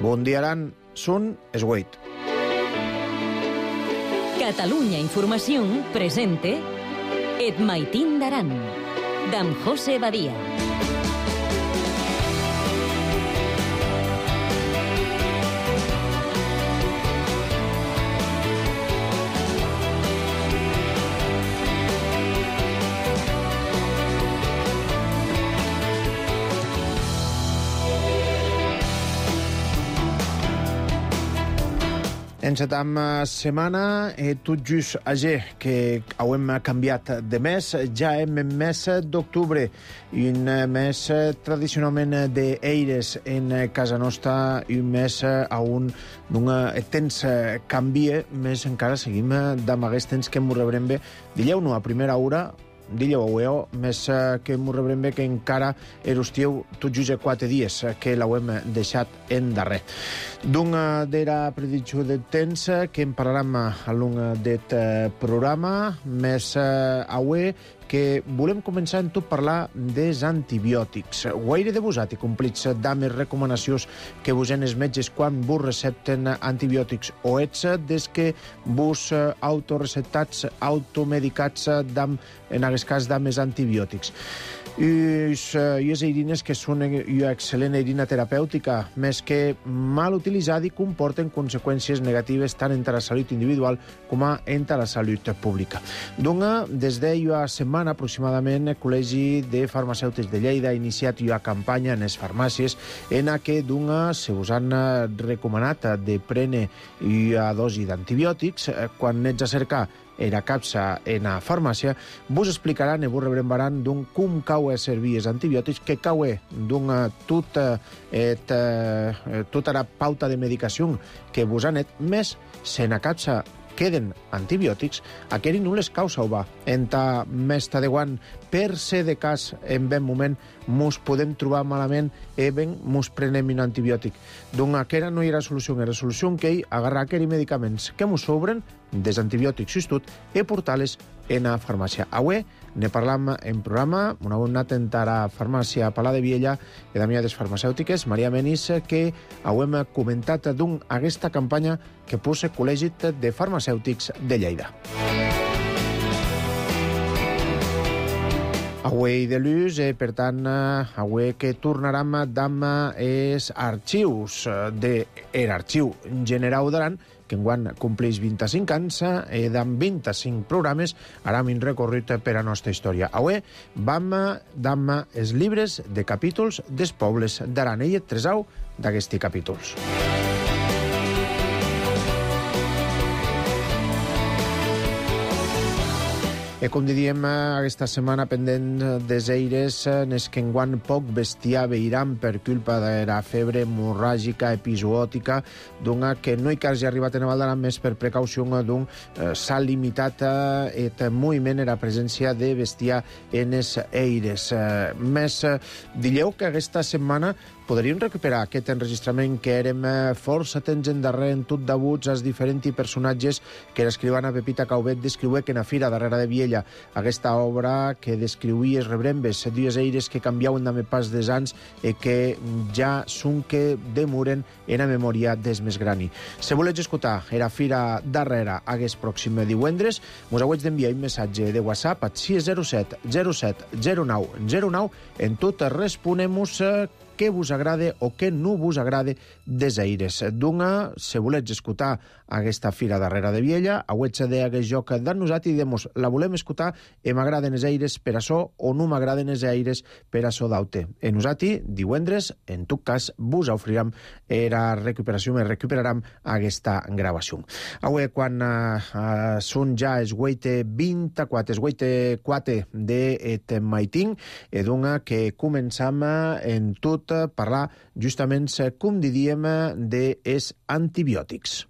Bon dia, Aran. Són es 8. Catalunya Informació presente Et Maitín d'Aran, d'en José Badia. Encetam setmana tot just ayer que hem canviat de mes, ja hem en mes d'octubre i un mes tradicionalment d'eires en casa nostra i un mes on el temps canvia, més encara seguim amb aquest temps que m'ho rebrem bé. Dileu-no a primera hora, dileu més que m'ho rebrem bé que encara estiu tot just 4 dies que l'hem deixat en darrer. D'una d'era predicció del temps que en parlarem a l'un d'aquest programa, més avui que volem començar en tot parlar dels antibiòtics. Guaire de vosaltres complits amb les recomanacions que vos en els metges quan vos recepten antibiòtics o ets des que vos autoreceptats, automedicats en aquest cas amb els antibiòtics. I les eirines que són una excel·lent eirina terapèutica, més que mal utilitzada i comporten conseqüències negatives tant en la salut individual com en la salut pública. Dona, des d'una setmana aproximadament, el Col·legi de Farmacèutics de Lleida ha iniciat una campanya en les farmàcies en què se us han recomanat de prendre una dosi d'antibiòtics. Quan ets a cercar era capsa en la farmàcia, vos explicaran i vos rebrembaran com cau a servir els antibiòtics, que cau tota la pauta de medicació que vos han més se na capsa queden antibiòtics, aquell no les causa o va. En ta mesta de guant, per ser de cas, en ben moment, mos podem trobar malament i ben mos prenem un antibiòtic. Doncs aquella no hi ha solució. Era solució que agarrar aquells medicaments que mos sobren des antibiòtics i tot i portar-les en la farmàcia. Avui ne parlam en programa, una bona anat en la farmàcia Palà de Viella i d'Amià des Farmacèutiques, Maria Menis, que hem comentat aquesta campanya que posa el Col·legi de Farmacèutics de Lleida. Avui de l'ús, per tant, avui que tornarem amb els arxius de l'Arxiu General d'Aran, que enguany compleix 25 anys i amb 25 programes aram un recorrit per a nostra història. Avui vam amb els llibres de capítols dels pobles d'Aran. Ell et tresau d'aquests capítols. I com diríem, aquesta setmana pendent des eires és que enguany poc bestiar veiram per culpa de la febre hemorràgica episòtica, d'una que no hi que hagi arribat en Val d'Aran més per precaució d'un s'ha limitat el moviment i la presència de bestiar en els eires. Més, dieu que aquesta setmana podríem recuperar aquest enregistrament que érem força temps endarrer en tot d'abuts als diferents personatges que l'escrivana Pepita Caubet descriué que en la fira darrere de Viella, aquesta obra que descriuïa els rebrembes, dues eires que canviaven amb el pas dels anys i que ja són que demoren en la memòria dels més grani. Si voleu escoltar la fira darrere aquest pròxim divendres, us heu d'enviar un missatge de WhatsApp al 607 07 09 09. En tot responem-vos què vos agrada o què no vos agrada des aires. D'una, si voleu escoltar aquesta fira darrere de Viella, avui d'aquest joc de nosaltres i diem, la volem escoltar i m'agraden els aires per això o no m'agraden els aires per això d'aute. I nosaltres, divendres, en tot cas, vos oferirem la recuperació, i recuperarem aquesta gravació. Avui, quan són ja els 8:24, els 8:04 de Maitín, i d'una que començam en tot parlar justament, com diríem, dels antibiòtics.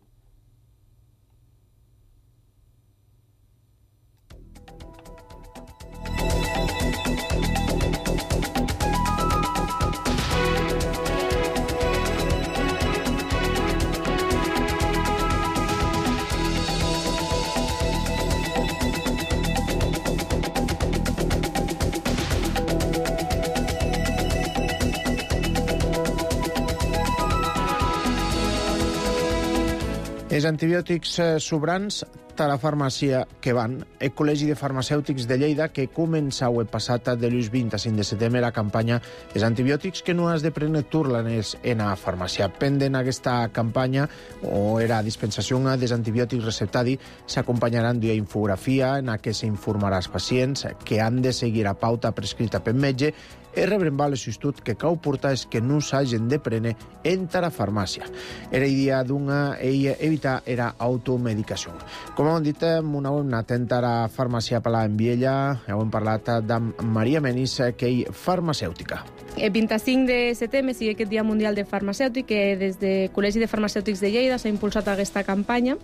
Els antibiòtics sobrants a la farmàcia que van. El Col·legi de Farmacèutics de Lleida, que començau el passat de l'ús 20 a 5 de setembre la campanya Els antibiòtics que no has de prendre turlanes en la farmàcia. Pendent aquesta campanya, o era dispensació dels antibiòtics receptadi, s'acompanyaran d'una infografia en què s'informarà als pacients que han de seguir a pauta prescrita per metge e rebrembar l'assistut que cau portar és que no s'hagin de prendre entra a farmàcia. Era idea d'una evitar era automedicació. Com hem dit, una hem anat a la farmàcia a parlar amb ella, hem parlat amb Maria Menis, que és farmacèutica. El 25 de setembre sigui aquest Dia Mundial de Farmacèutic, que des del Col·legi de Farmacèutics de Lleida s'ha impulsat aquesta campanya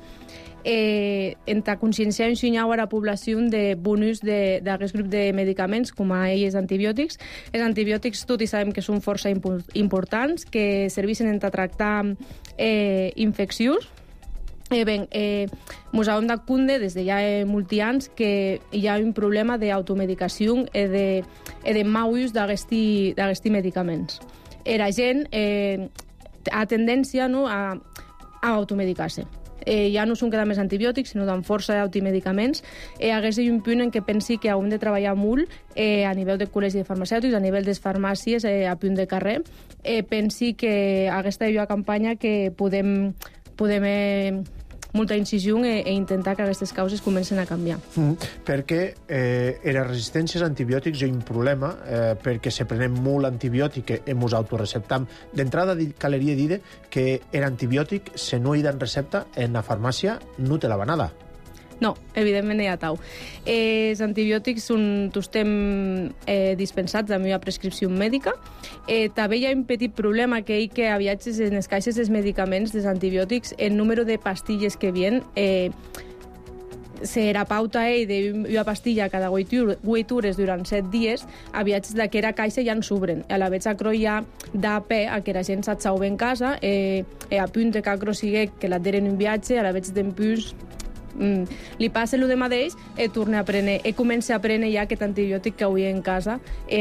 entre conscienciar i ensenyar a la població de bon ús d'aquest grup de medicaments, com a ells antibiòtics. Els antibiòtics tot i sabem que són força importants, que serveixen per tractar infeccions. Mos hem de compte des de ja molts anys que hi ha un problema d'automedicació i de mal ús d'aquests medicaments. La gent ha tendència a automedicar-se. Ja no són cada més antibiòtics, sinó d'en força d'automedicaments. Hagués un punt en què pensi que hem de treballar molt a nivell del col·legi de farmacèutics, a nivell de les farmàcies, a punt de carrer. Pensi que aquesta és una campanya que podem molta incisió e intentar que aquestes causes comencen a canviar. Perquè les resistències a antibiòtics és un problema, perquè se prenem molt antibiòtic i ens autoreceptam. D'entrada, caleria dir que l'antibiòtic, si no hi ha recepta, en la farmàcia no te la va nada. No, evidentment hi ha tau. Els antibiòtics estem dispensats amb una prescripció mèdica. També hi ha un petit problema que a viatges en les caixes dels medicaments dels antibiòtics, el número de pastilles que vien se la pauta d'una pastilla cada 8 hores durant 7 dies, a viatges d'aquesta caixa ja en s'obren. A la vegada hi ha d'AP a que la gent s'atsau en casa, a punt que acro sigui que la tenen un viatge, a la vegada d'empús li passa el mateix torna a prendre, comença a prendre ja aquest antibiòtic que avui en casa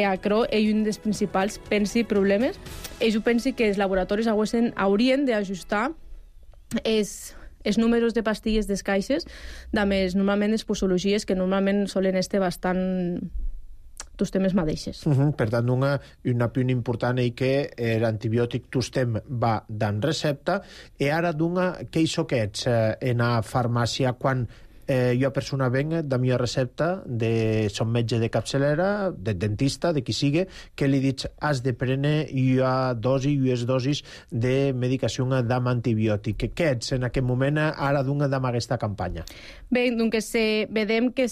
acro és un dels principals problemes. Jo penso que els laboratoris haurien d'ajustar els números de pastilles des caixes més normalment les posologies que normalment solen estar bastant tots temes mateixes. Per tant, un punt important és que l'antibiòtic tostem va dan recepta i ara què hi soquets en la farmàcia quan jo persona venga de mi recepta de son metge de capçalera, de dentista, de qui sigui, que li dic has de prendre una dosis de medicació d'am antibiòtic. Què ets en aquest moment ara d'am aquesta campanya? Bé, doncs vedem que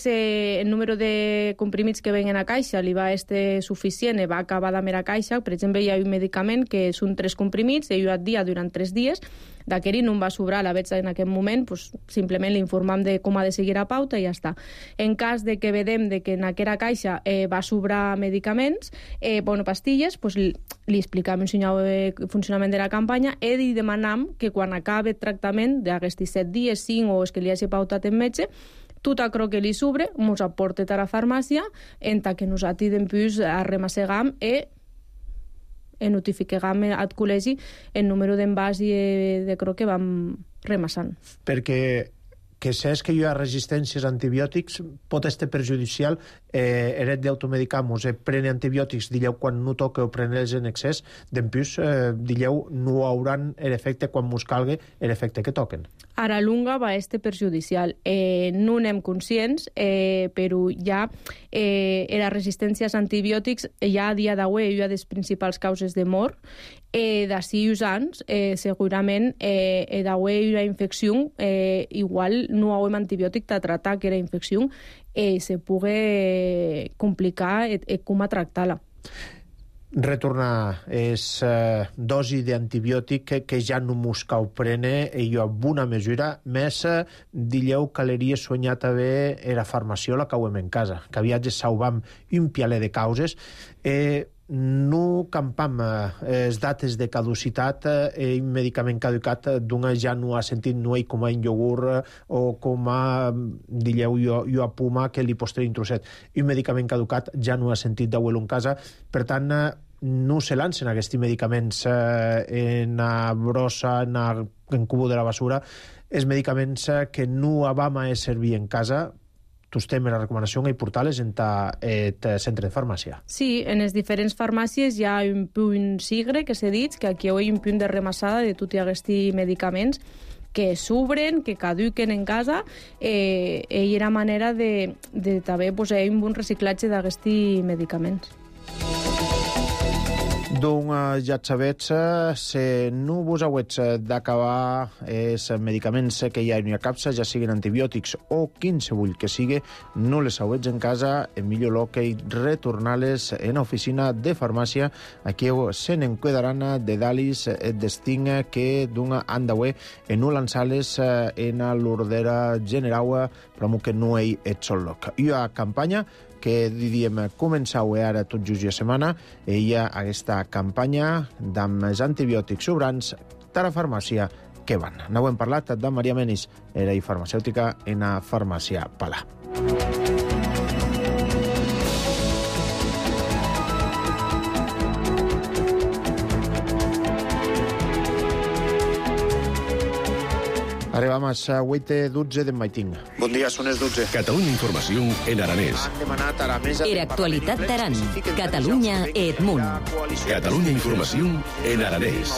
el número de comprimits que venen a caixa li va ser suficient i va acabar de mera caixa. Per exemple, hi ha un medicament que són 3 comprimits i al dia durant 3 dies. D'aquest no em va sobrar, la veig en aquest moment, simplement l'informam de com ha de seguir a pauta i ja està. En cas de que vedem que en aquesta caixa va sobrar medicaments, pastilles, li explicam el funcionament de la campanya i li demanam que quan acabi el tractament d'aquests 7 dies, 5 o els que li hagi pautat en metge, tot aquello que li sobre ens aporta a la farmàcia en que nosaltres després arremassegam i notifiquem al col·legi el número d'envàs i de cro que vam remassant. Perquè que saps que hi ha resistències a antibiòtics pot estar perjudicial eret d'automedicar-nos. Prene antibiòtics, dilleu, quan no toca o prene-los en excés, d'empús, dilleu, no hauran l'efecte quan mos calgue l'efecte que toquen. A la lunga va estar perjudicial. No n'hem conscients, però ja les resistències a antibiòtics ja a dia d'avui és una de les principals causes de mort. D'ací uns anys, segurament, d'avui una infecció, igual no hauem antibiòtic de tractar aquella infecció, se pugui complicar com a tractar-la. Retornar és dosi d'antibiòtic que ja no mos cau prene i jo amb una mesura més dilleu caleria soñar també era farmaciola que hauem en casa, que aviat salvam un pialer de causes no campam les dates de caducitat i un medicament caducat d'una ja no ha sentit no com a un iogurt o com a dilleu jo a puma que li postre un trosset. Un medicament caducat ja no ha sentit d'auelo en casa, per tant no se lancen aquests medicaments en la brossa, en cubo de la basura, els medicaments que no vam a servir en casa, tostem la recomanació i portar-les en el centre de farmàcia. Sí, en les diferents farmàcies hi ha un punt sigre, que s'ha dit, que aquí hi ha un punt de remassada de tots aquests medicaments que s'obren, que caduquen en casa, i era manera de també posar un bon reciclatge d'aquests medicaments. Doncs ja sabets, si no vos hauets d'acabar els medicaments que hi ha en la capsa, ja siguin antibiòtics o quinsevull que sigui, no les hauets en casa, en millor lo que retornar-les en l'oficina de farmàcia. Aquí se n'en quedaran de dalis d'esting que han d'haver en no lançar-les en l'ordera general, però que no hi és sol lloc. I a campanya que diríem començau ara tot just la setmana, hi ha aquesta campanya amb els antibiòtics sobrants de la farmàcia que van. N'ho hem parlat de Maria Menis, era farmacèutica en la farmàcia Palà. Arribam a 8:12 de Maiting. Bon dia, són les 12. Catalunya Informació en aranès. Han demanat a la mesa... Era actualitat d'Aran. Catalunya Edmunt. Catalunya Informació en aranès.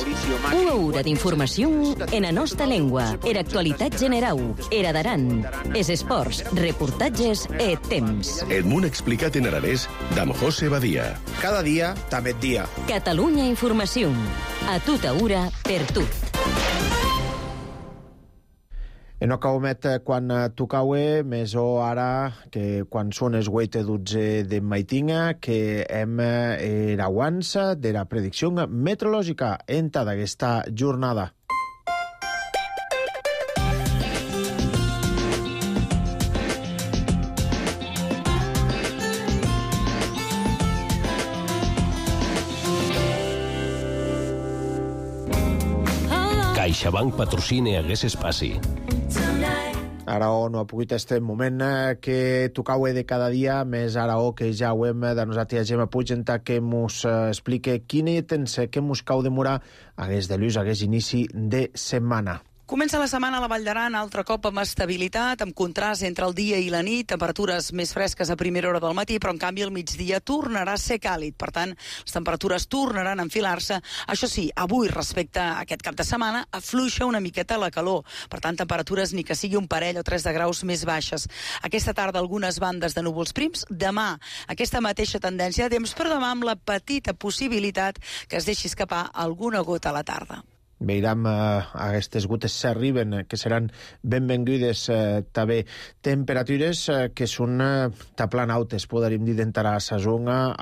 Una hora d'informació en la nostra llengua. Era actualitat general. Era d'Aran. Es esports, reportatges e temps. Edmunt explicat en aranès d'Am José Badia. Cada dia, també dia. Catalunya Informació. A tota hora, per tot. En acaumet quan tocaue, més o ara que quan són els 8:12 de Maitinga, que hem erauans de la predicció meteorològica en tota aquesta jornada. CaixaBank patrocina aquest espai. Ara no ha pogut este moment que tocaue de cada dia, més ara que ja ho hem de nosaltres Gemma Pugenta que mos explique quin temps que mos cau demorar hagués de lluç, hagués inici de setmana. Comença la setmana a la Vall d'Aran, altre cop amb estabilitat, amb contrast entre el dia i la nit, temperatures més fresques a primera hora del matí, però en canvi el migdia tornarà a ser càlid. Per tant, les temperatures tornaran a enfilar-se. Això sí, avui, respecte a aquest cap de setmana, afluixa una miqueta la calor. Per tant, temperatures ni que sigui un parell o 3 de graus més baixes. Aquesta tarda algunes bandes de núvols prims. Demà, aquesta mateixa tendència de temps, però demà amb la petita possibilitat que es deixi escapar alguna gota a la tarda. Veurem aquestes gotes s'arriben, que seran benvingudes també. Temperatures que són taplant altes, podríem dir, d'entrar a la zona.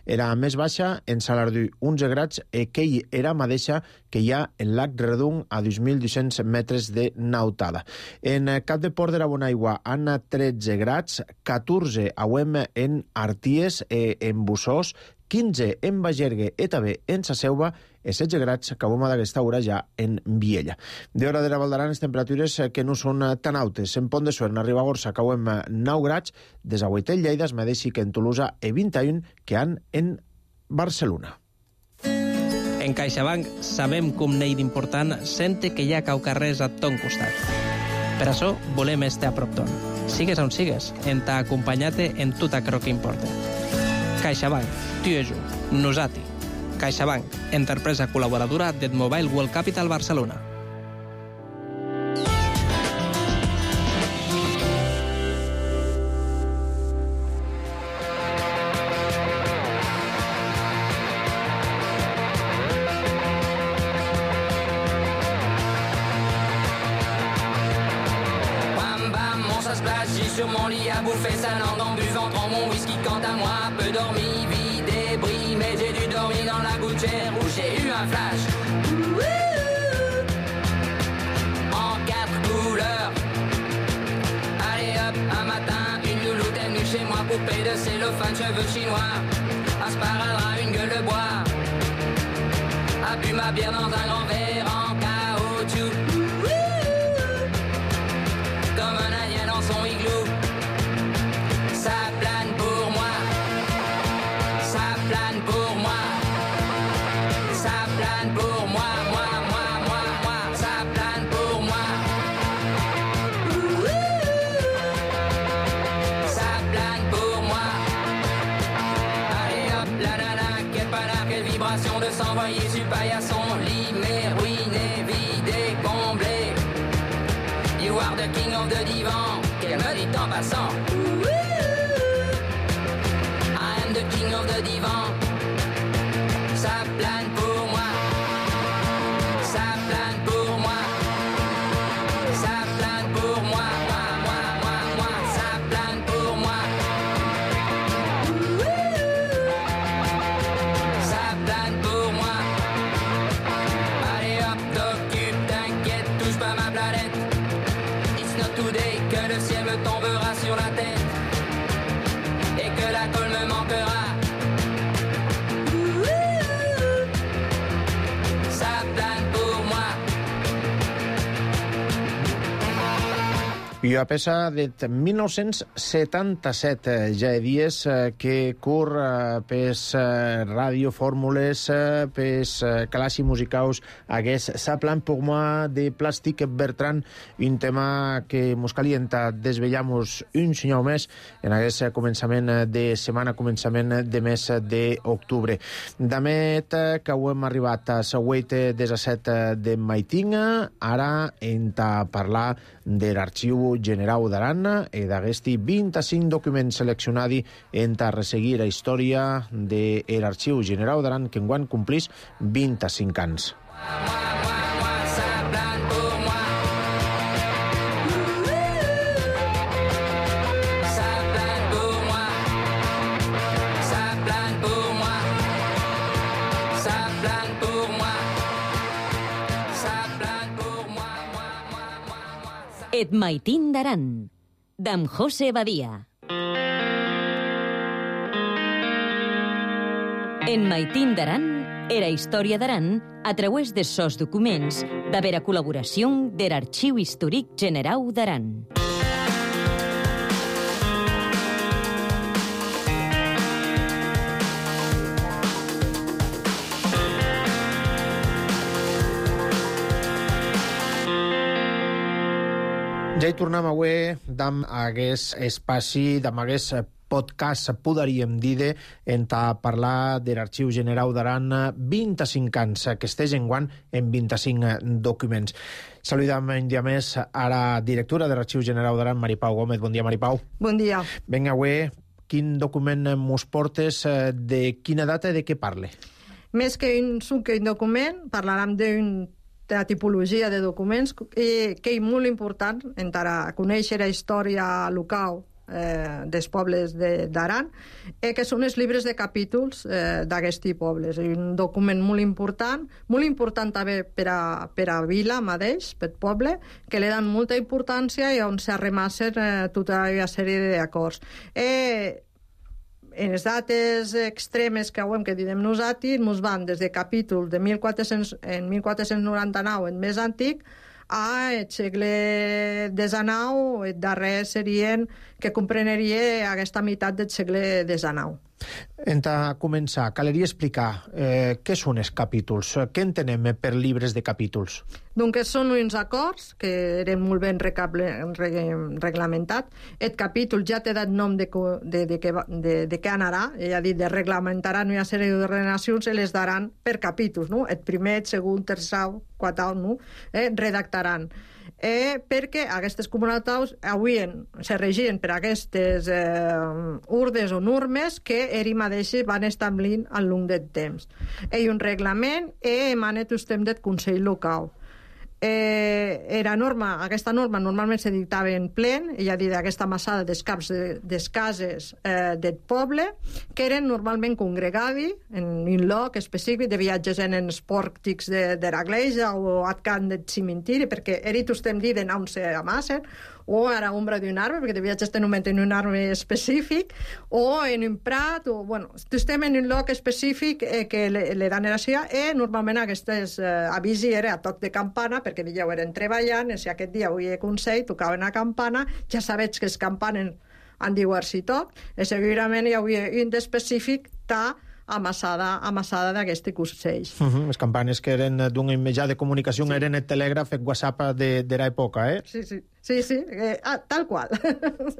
Era més baixa en Salardú, 11 graus, que era mateixa que hi ha en Lac Redung a 2.200 metres de nautada. En Cap de Port de la Bonaigua han 13 graus, 14 en Arties, en Bussós, 15 en Bagergue i també en Sa Selva i 16 graus que avui d'aquesta hora ja en Viella. D'hora de la Val d'Aran, les temperatures que no són tan altes. En Pont de Suert, a Ribagorça, que avui 9 graus, des a Guaitel, Lleida, es medeixi que en Tolosa i 21 que han en Barcelona. En CaixaBank sabem com n'hi d'important sente que hi ha caucarrers a ton costat. Per això volem estar a prop ton. Sigues on sigues, en t'ha acompanyat en tot aquello que importa. CaixaBank, tu i jo, nosati. CaixaBank, empresa col·laboradora d'Edmobile World Capital Barcelona. Bam bam, on s'esplash, j'ai sur mon lit à bouffer sa langue en buvant trop mon whisky. Quant à moi, peu dormi, vie débris, mais j'ai dû dormir dans la gouttière où j'ai eu un flash. En 4 couleurs. Allez hop, un matin, une louloute est venue chez moi, poupée de cellophane, cheveux chinois, un sparadrap, une gueule de bois, a bu ma bière dans un grand verre en caoutchouc, comme un indien dans son igloo. Ça plane pour moi, ça plane pour moi. plane pour moi, moi, moi, moi, moi, ça plane pour moi. Ça plane pour moi. Allez hop, la nana, quel panard, quelle vibration de s'envoyer sur paillasson. Limé, ruiné, vidé, comblé. You are the king of the divan, qu'elle me dit en passant. I am the king of the divan. Ça plane pour moi. Ça plane pour moi. Ça plane pour moi. Moi, moi, moi, moi. Ça plane pour moi. Ça plane pour moi. Allez hop, t'occupe, t'inquiète, touche pas ma planète. It's not today que le ciel me tombera sur la tête et que la colle me manquera. Ça plane pour moi. I a peça de 1977, ja he dies que cur pes radiofórmules, pes classi musicaus, hagués Sa plan pour moi de Plastic Bertrand, un tema que mos calienta, desvellamos un senyor més en hagués començament de setmana, començament de mes d'octubre. Damet que ho hem arribat a la 17 de Maitinga, ara enta parlar de l'Arxiu Generau d'Aran e d'aguesti 25 documents seleccionadi enta resseguir la història de l'Arxiu Generau d'Aran que enguany complís 25 anys. Et Maitín d'Aran, d'en José Badia. En Maitín d'Aran era història d'Aran a través de sos documents de vera col·laboració de l'Arxiu Històric Generau d'Aran. Ja hi tornem avui d'am hagués espaci, d'am hagués podcast, podríem dir, en parlar de l'Arxiu Generau d'Aran 25 anys, que estès enguany en 25 documents. Saludam un dia més a la directora de l'Arxiu Generau d'Aran, Maripau Gómez. Bon dia, Maripau. Bon dia. Vinga, avui, quin document mos portes, de quina data i de què parle? Més que un document, parlarem de la tipologia de documents que és molt important per a conèixer la història local dels pobles d'Aran, que són els llibres de capítols d'aquests pobles. És un document molt important també per a Vila mateix, per poble, que li dan molta importància i on s'arremassen tota una sèrie d'acords. En les dates extremes que direm nosaltres, ens van des de capítols de 1499, el més antic, al segle XIX, el darrer serien que compreneria aquesta meitat del segle XIX. En començar, caleria explicar què són els capítols, què entenem per llibres de capítols? Doncs són uns acords que eren molt ben reglamentats. El capítol ja t'ha dat nom de què anarà, ell ha dit de reglamentaran una sèrie d'ordenacions i les daran per capítols, no? El primer, el segon, tercer, quart, no? Redactaran. Perquè aquestes comunitats avui se regien per aquestes urdes o normes que ells mateixos van establint al llarg del temps. Hi ha un reglament i emana el temps del Consell Local. Aquesta norma normalment se dictava en plen, ja dit aquesta massada dels caps des cases del poble, que eren normalment congregades en un lloc específic de viatges en els pòrtics de l'església o al camp del cimentiri, perquè era tot estem dit on se amassen, o a l'ombra d'un arbre, perquè de viatges tenen un arbre específic, o en un prat, o, bueno, estem en un lloc específic que le dan eració, i normalment aquestes avisi era a toc de campana, perquè ja ho eren treballant, i si aquest dia avui hi consell, tocaven a campana, ja sabets que els campanen han diu-se tot, i segurament hi havia un d'específic a amassada d'aquest cosell. Les campanes que eren d'un mitjà de comunicació eren el telègraf, el WhatsApp d'era època, Sí, tal qual.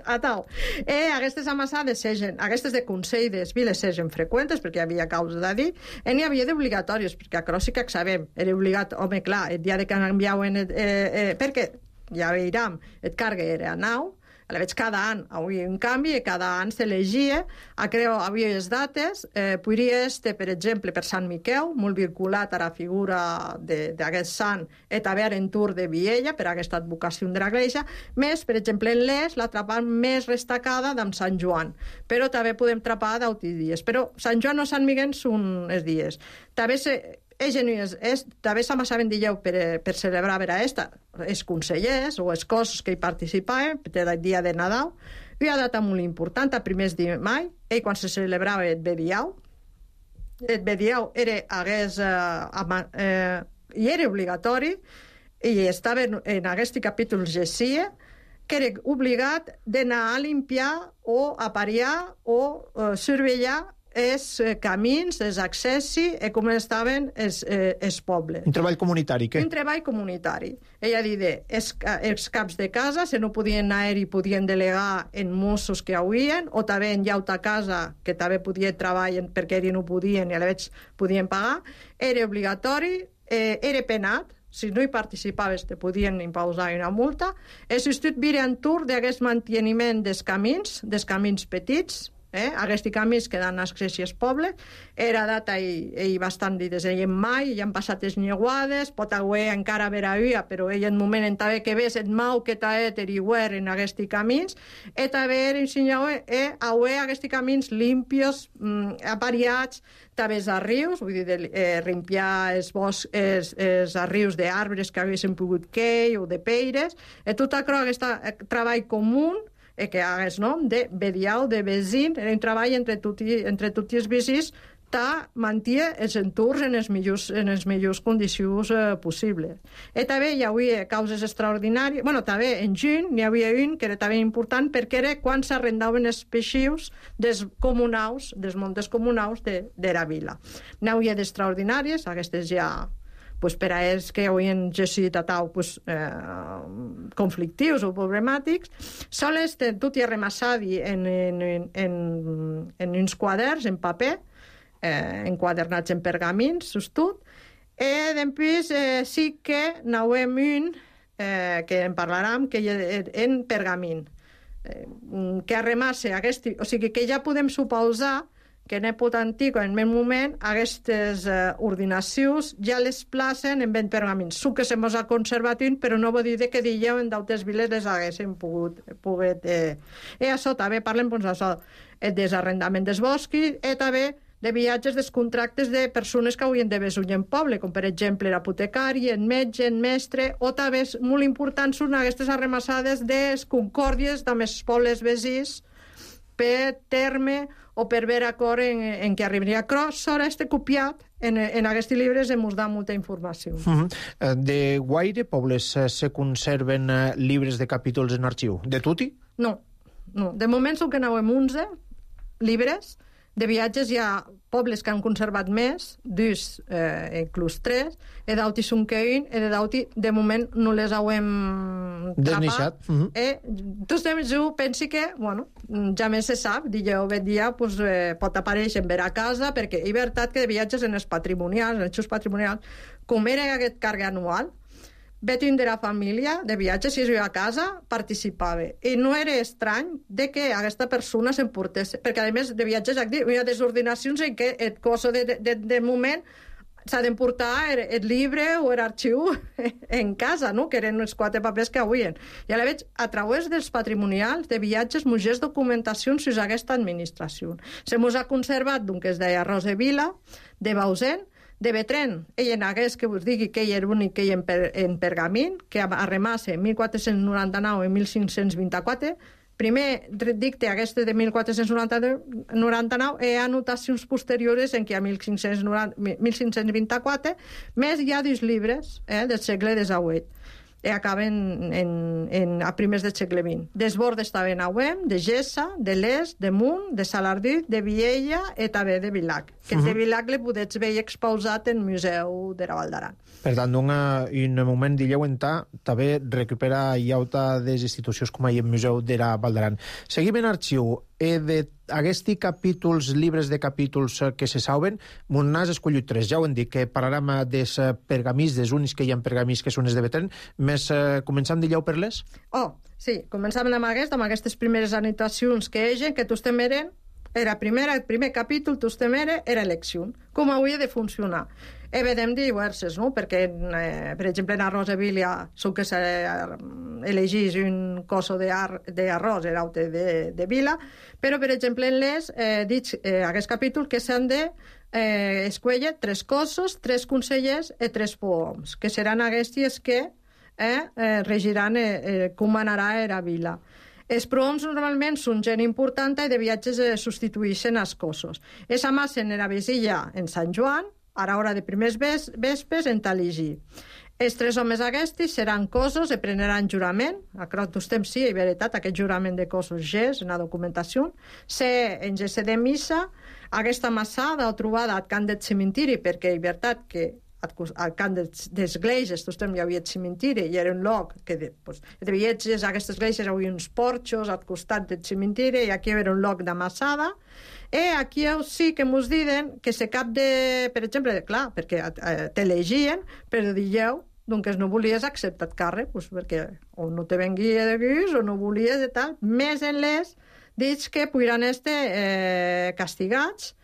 Aquestes amassades aquestes de consell de viles segen freqüentes, perquè hi havia causa de dir, n'hi havia d'obligatoris, perquè a sí que sabem, era obligat, home, clar, el dia de que canviaven, perquè ja veiem, el carga era a nau, a la veig cada any hi havia un canvi i cada any s'elegia, havia les dates, podria estar, per exemple, per Sant Miquel, molt vinculat a la figura d'aquest sant, i també en Tour de Viella, per aquesta advocació de l'Església, més, per exemple, en l'Es, la trapar més destacada d'en Sant Joan, però també podem trapar d'altres dies. Però Sant Joan o Sant Miquel són els dies. També s'amassaven dijous per celebrar els consellers o els cossos que hi participaven per el dia de Nadal. Hi ha una data molt important, a primers de maig, quan se celebrava el Bediau. El Bediau era obligatori i estava en aquest capítol Gessia, que era obligat d'anar a limpiar o a pariar o surveillar els camins, els accessos i com estaven els pobles. Un treball comunitari, què? Un treball comunitari. Ella diu, els caps de casa, si no podien anar i podien delegar en mossos que havien, o també en llauta casa, que també podien treballar perquè ells no podien i a la vegada podien pagar, era obligatori, era penat, si no hi participaves te podien imposar una multa. El Institut Virentur d'aquest manteniment dels camins petits, aquests camins que dan accés als pobles, era data i bastant des de mai, ja han passat les nieguades, pot haver encara haver però ell en moment en també que ves et mau que t'ha teriuer en aquests camins, i també ensenyau haver aquests camins limpios, apariats, també els rius, vull dir, limpiar els boscs, els rius d'arbres que haguessin pogut queir o de peires, i tot aquest treball comú que hagués nom de Bediau, de Vesin, era un treball entre tots els veïns que mantia els entorns en les millors condicions possibles. I també hi havia causes extraordinàries. També en juny n'hi havia un que era també important perquè era quan s'arrendaven els peixius dels montes comunals de la vila. N'hi havia d'extraordinàries, aquestes ja per a ells que havien gestit conflictius o problemàtics, sols tot i remassat en uns quaderns, en paper, enquadernats en pergamins, sostut, i després sí que n'havem un, que en parlarem, que en pergamin, que arremassa o sigui que ja podem suposar que en època antiga, en el moment, aquestes ordinacions ja les placen en ben pergamins. Su que se mos ha conservat un, però no vol dir que dijeu en d'altres viles les haguessin pogut. I això també parlem del desarrendament dels boscos i també de viatges dels contractes de persones que havien de besar en poble, com per exemple l'apotecari, el metge, el mestre, o també molt importants són aquestes arremassades de les concòrdies amb els pobles veïns per terme o per veure acord en què arribaria. Sora este copiat en aquests llibres ens da molta informació. De guaire pobles se conserven llibres de capítols en arxiu? De tutti? No. De moment són que n'havem 11 llibres. De viatges hi ha pobles que han conservat més, dus inclús 3, i d'altres són que un, i de moment no les hauem desneixat. Doncs jo penso que, ja més se sap, dia pot aparèixer en ver a casa, perquè és veritat que de viatges en els patrimonials, en els xus patrimonials, com era aquest carga anual, vetin de la família de viatges, si jo a casa, participava. I no era estrany de que aquesta persona s'emportés, perquè a més de viatges hi ha desordinacions en què el cos de moment s'ha d'emportar el llibre o l'arxiu en casa, no? Que eren els 4 papers que havien. I a la veig, a través dels patrimonials de viatges, muges documentacions fins a aquesta administració. Se mos ha conservat d'un que es deia Rosevila, de Bausen, de Betren, ell en hagués que us digui que ell era l'únic que hi en pergamin, que arremassa en 1499 i 1524. Primer dicte aquest de 1499 i anotacions posteriors en què a 1524, més hi ha 2 llibres del segle XVIII. i acaben a primers del segle XX. Desbord estaven a Auem, de Gessa, de Les, de Munt, de Salardit, de Viella i també de Vilac. Que de Vilac le podets veure exposat en Museu de la Val d'Aran. Per tant, en el moment d'illeu entà, també recupera iauta des institucions com el Museu de la Val d'Aran. Seguim en arxiu. D'aquests capítols, llibres de capítols que se saben, m'on n'has escollit 3. Ja ho hem dit, que parlarem dels pergamins, dels únics que hi ha pergamins que són els de Betlem. Més començam d'illeu per les? Sí, començàvem amb aquestes primeres anotacions que egen, que tostem eren, el primer capítol, tostem era elecció. Com hauria de funcionar? Vedem diverses, no? Perquè, per exemple, en arròs de Vila, són que s'elegís un coso d'arròs, era de Vila, però, per exemple, en les, dits aquest capítol, que s'han de escollir 3 cossos, 3 consellers i 3 poems, que seran aquests que regiran com anarà a Vila. Els prohoms normalment són gent important i de viatges substitueixen els cossos. Es amassen en la vesilla en Sant Joan, a l'hora de primers vespes en Taligi. Els 3 homes aquests seran cossos i prendran jurament. A tots temps sí, és veritat, aquest jurament de cossos és en la documentació. En gest de missa, aquesta massada o trobada al camp del cementiri, perquè és veritat que al camp d'esglésies, tots temps hi havia cementiri i era un lloc que de viatges a aquestes esglésies hi havia uns porxos al costat del cementiri i aquí era un lloc d'amassada. I aquí sí que ens diuen que se cap de... Per exemple, clar, perquè t'elegien, però dieu doncs no volies acceptar càrrec, perquè o no te venguia de guix o no volies i tal. Més en les dits que podran estar castigats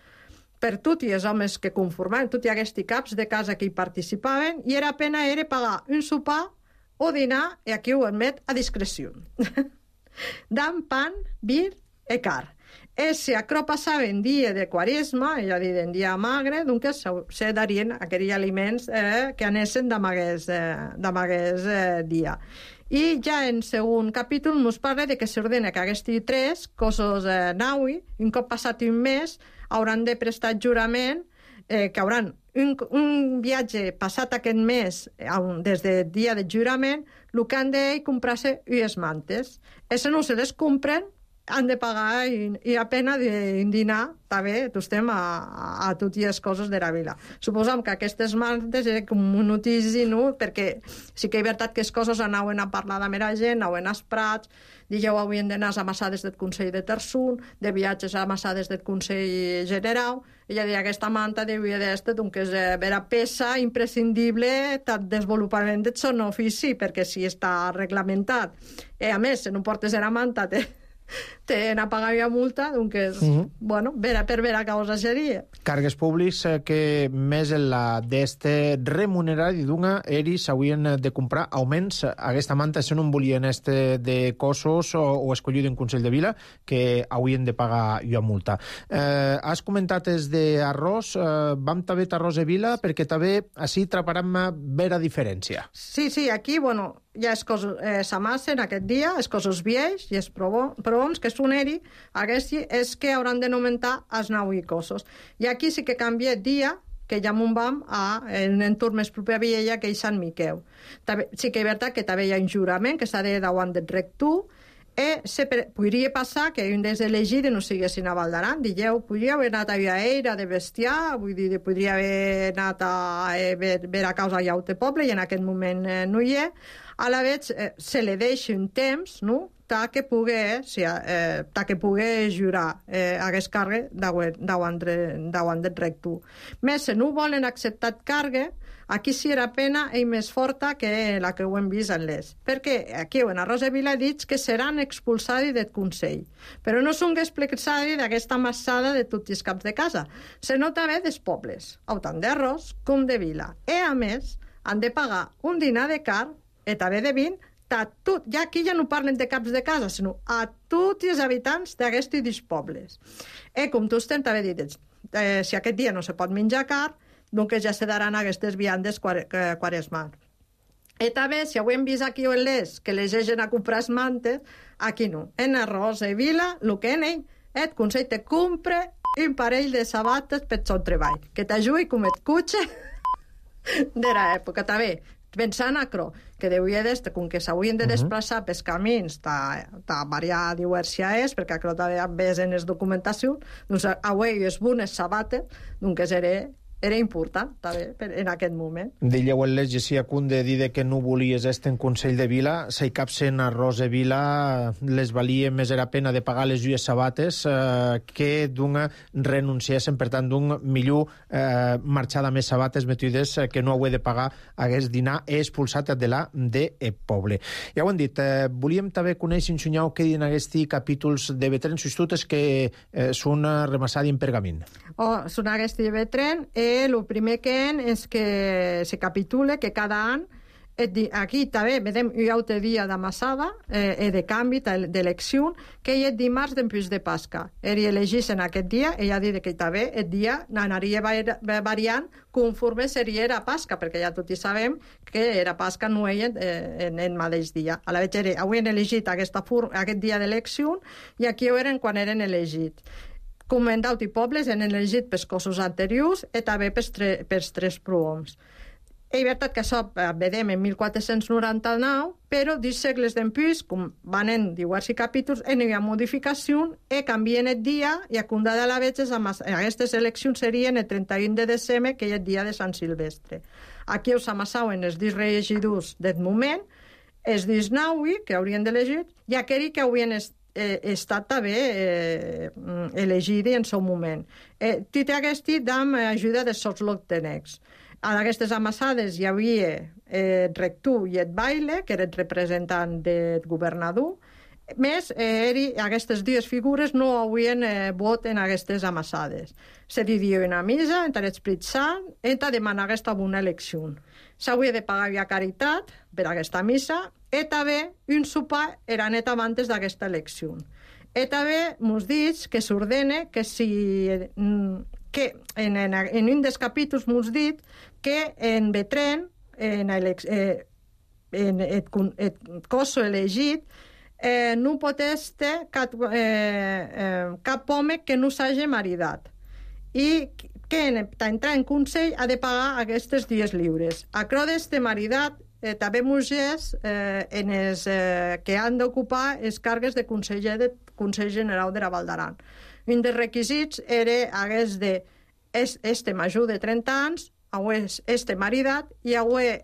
per tots els homes que conformaven, tots aquests caps de casa que hi participaven, i era pena era pagar un sopar o dinar, i aquí ho admet, a discreció. Dan pan, vi i car. I si acro passava en dia de quaresma, és a dir, en dia magre, doncs se darien aquells aliments que anessin d'amagués dia. I ja en segon capítol ens parla de que s'ordena que aquests 3 cossos naui, un cop passat un mes, hauran de prestar jurament que hauran un viatge passat aquest mes des del dia de jurament, el que han de comprar-se unes mantes. I si no se les compren, han de pagar i a pena de dinar també tostem a totes les coses de la vila. Suposam que aquestes mantes eren com un notici, no? Perquè sí que és veritat que les coses anaven a parlar de mera gent, anaven als prats, dijous havien d'anar a amassades del Consell de Terçun, de viatges a amassades del Consell General, i ja dir, aquesta manta devia d'estar, doncs, vera peça imprescindible del desenvolupament del son ofici, perquè si està reglamentat, i a més, si no portes la manta, te n'apagaria multa, doncs, bueno, per vera causa seria. Càrregues públics que més en la d'este remunerat i d'una eris haurien de comprar augments aquesta manta si no en volien de cossos o escollit un Consell de Vila que haurien de pagar jo multa. Has comentat els d'arròs, vam també d'arròs de Vila perquè també així traparem vera diferència. Sí, aquí, bueno, ja les coses s'amassen aquest dia, les coses vieix i els prohoms que són eri, aquests és que hauran de nomentar els 9 cossos. I aquí sí que canvia el dia, que ja m'ho vam en un entorn més proper a Viella, que és Sant Miquel. Sí que és veritat que també hi ha un jurament que s'ha de davant del rector, podria passar que un dels elegits no siguessin a Val d'Aran. Dijeu, podria haver anat a Viaera de bestiar, vull dir, podria haver anat a veure a causa llaute poble, i en aquest moment no hi és. A la vegada se li deixa un temps, no?, que pugui jurar aquest càrrec davant del rector. Més, si no volen acceptar càrrec, aquí sí era pena i més forta que la que ho hem vist en les. Perquè aquí en Arròs de Vila dit que seran expulsats del Consell, però no són expulsats d'aquesta massada de tots els caps de casa, sinó també dels pobles, tant d'Arròs com de Vila. I a més, han de pagar un dinar de car i també de vin ja aquí ja no parlen de caps de casa, sinó a tots els habitants d'aquests pobles. I com tu també dit, si aquest dia no se pot menjar car, doncs ja se daran aquestes viandes quaresmals. I també, si ho hem vist aquí en les, que les egen a comprar les mantes, aquí no. En Arròs i Vila, el que en ell, el Consell te compra un parell de sabates per son treball, que t'ajudi com et cotxe de l'època. També, Pensant aquò, que deuria d'estar, com que s'haurien de desplaçar pels camins, ta variar diversia és, perquè aquò també ves en les documentacions, doncs avui és bones sabates, doncs era important, també, en aquest moment. Dilleu el legicia cun de dir que no volies estar en Consell de Vila, si capsen a Rosa Vila les valia més era pena de pagar les lluies sabates que d'una renunciessin, per tant, d'un millor marxada més sabates metides que no ho he de pagar hagués dinar expulsat de la de poble. Ja ho hem dit, volíem també conèixer, ensenyar què diuen aquests capítols de Betren, substitutes que són remassats en pergament. Són aquests de Betren, el primer que és que se capitula que cada any, aquí també vedem un altre dia d'amassada, de canvi, d'elecció, que és el dimarts després de Pasca. Elegís en aquest dia, ella dit que també el dia anaria variant conforme seria la Pasca, perquè ja tots sabem que la Pasca no és en el mateix dia. A la vegada, avui han elegit aquest dia d'elecció i aquí ho eren quan eren elegits. Com en d'altres pobles han elegit pels cossos anteriors i també pels tres prohoms. És veritat que això vedem en 1499, però 10 segles després, com van en diversos capítols, hi ha modificació i canvien el dia i a condada a la vegada aquestes eleccions serien el 31 de desembre, que és el dia de Sant Silvestre. Aquí us amassaven els 10 regidors del moment, els 19 que haurien d'elegir i aquells que haurien estat també elegit en seu moment. Tot aquest amb ajuda de sotslotencs. A aquestes amassades hi havia el rector i el baile, que era el representant del governador. Més, aquestes dues figures no haurien vot en aquestes amassades. Se diria una missa entre l'Esprit Sant i demanar aquesta bona elecció. S'hauria de pagar via caritat per aquesta missa i també un sopar era net abans d'aquesta elecció. I també mos dic que s'ordena que que en un dels capítols mos dit que en Betren, en el cos elegit, no pot estar cap home que no s'hagi maridat i que per entrar en Consell ha de pagar aquestes dies lliures. A creu d'este maridat també mujeres que han d'ocupar els càrrecs de conseller del Consell General de la Val d'Aran. Un dels requisits hagués de este major de 30 anys, este maridat i haver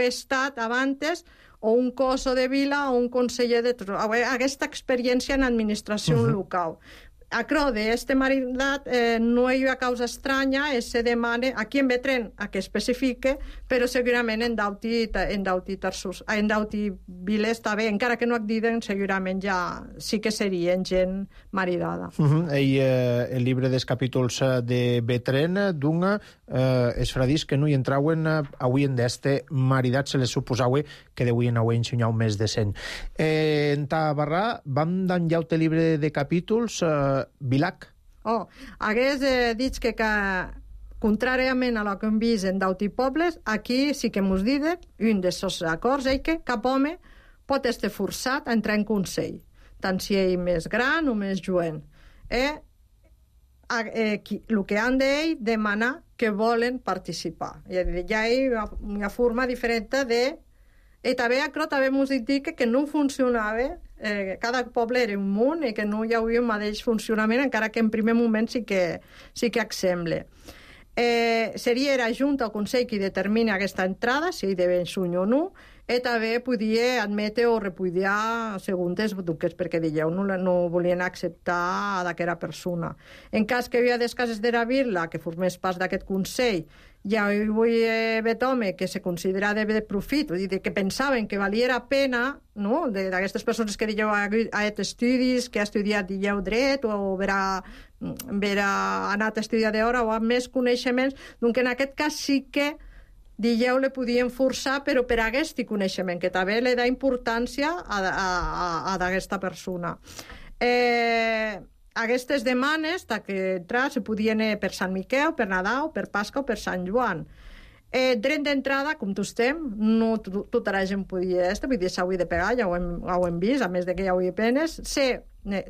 estat abans o un coso de vila o un conseller de... aquesta experiència en administració local. A creu d'este maridat no hi ha causa estranya, se demana, aquí en Betren, a que especifique, però segurament en d'altres viles també, encara que no et diuen, segurament ja sí que serien gent maridada. El llibre dels capítols de Betren d'una els fradís que no hi entrauen avui en d'este maridat, se les suposava que deuen haver ensenyat més de 100. En Tabarrà vam danjar el llibre de capítols Vilac. Hagués dit que contràriament a lo que hem vist en d'altres pobles, aquí sí que mos diuen, un dels acords és que cap home pot estar forçat a entrar en Consell, tant si és més gran o més jovent. El que han d'ells demanar que volen participar. Ja hi ha una forma diferent de... I també mos dit que no funcionava, cada poble era un món i que no hi havia un mateix funcionament, encara que en primer moment sí que sembla. Seria la Junta o Consell qui determina aquesta entrada, si hi deben suny o no, i també podia admetre o repudiar segons els duques, perquè no volien acceptar d'aquesta persona. En cas que hi havia des cases de la Vila que formés part d'aquest Consell, ja hi havia home que se considera de profit, que pensaven que valia la pena, no? D'aquestes persones que dieu ha estudis, que ha estudiat dret o haver anat a estudiar d'hora o amb més coneixements, doncs en aquest cas sí que le podien forçar, però per aquest coneixement, que també li da importància a d'aquesta persona. Aquestes demanes que entrar se podien per Sant Miquel, per Nadal, per Pasca o per Sant Joan. Dret d'entrada, com tu estem, no tota la gent podia estar, vull dir, s'hauria de pegar, ja ho hem vist, a més de que hi hauria penes.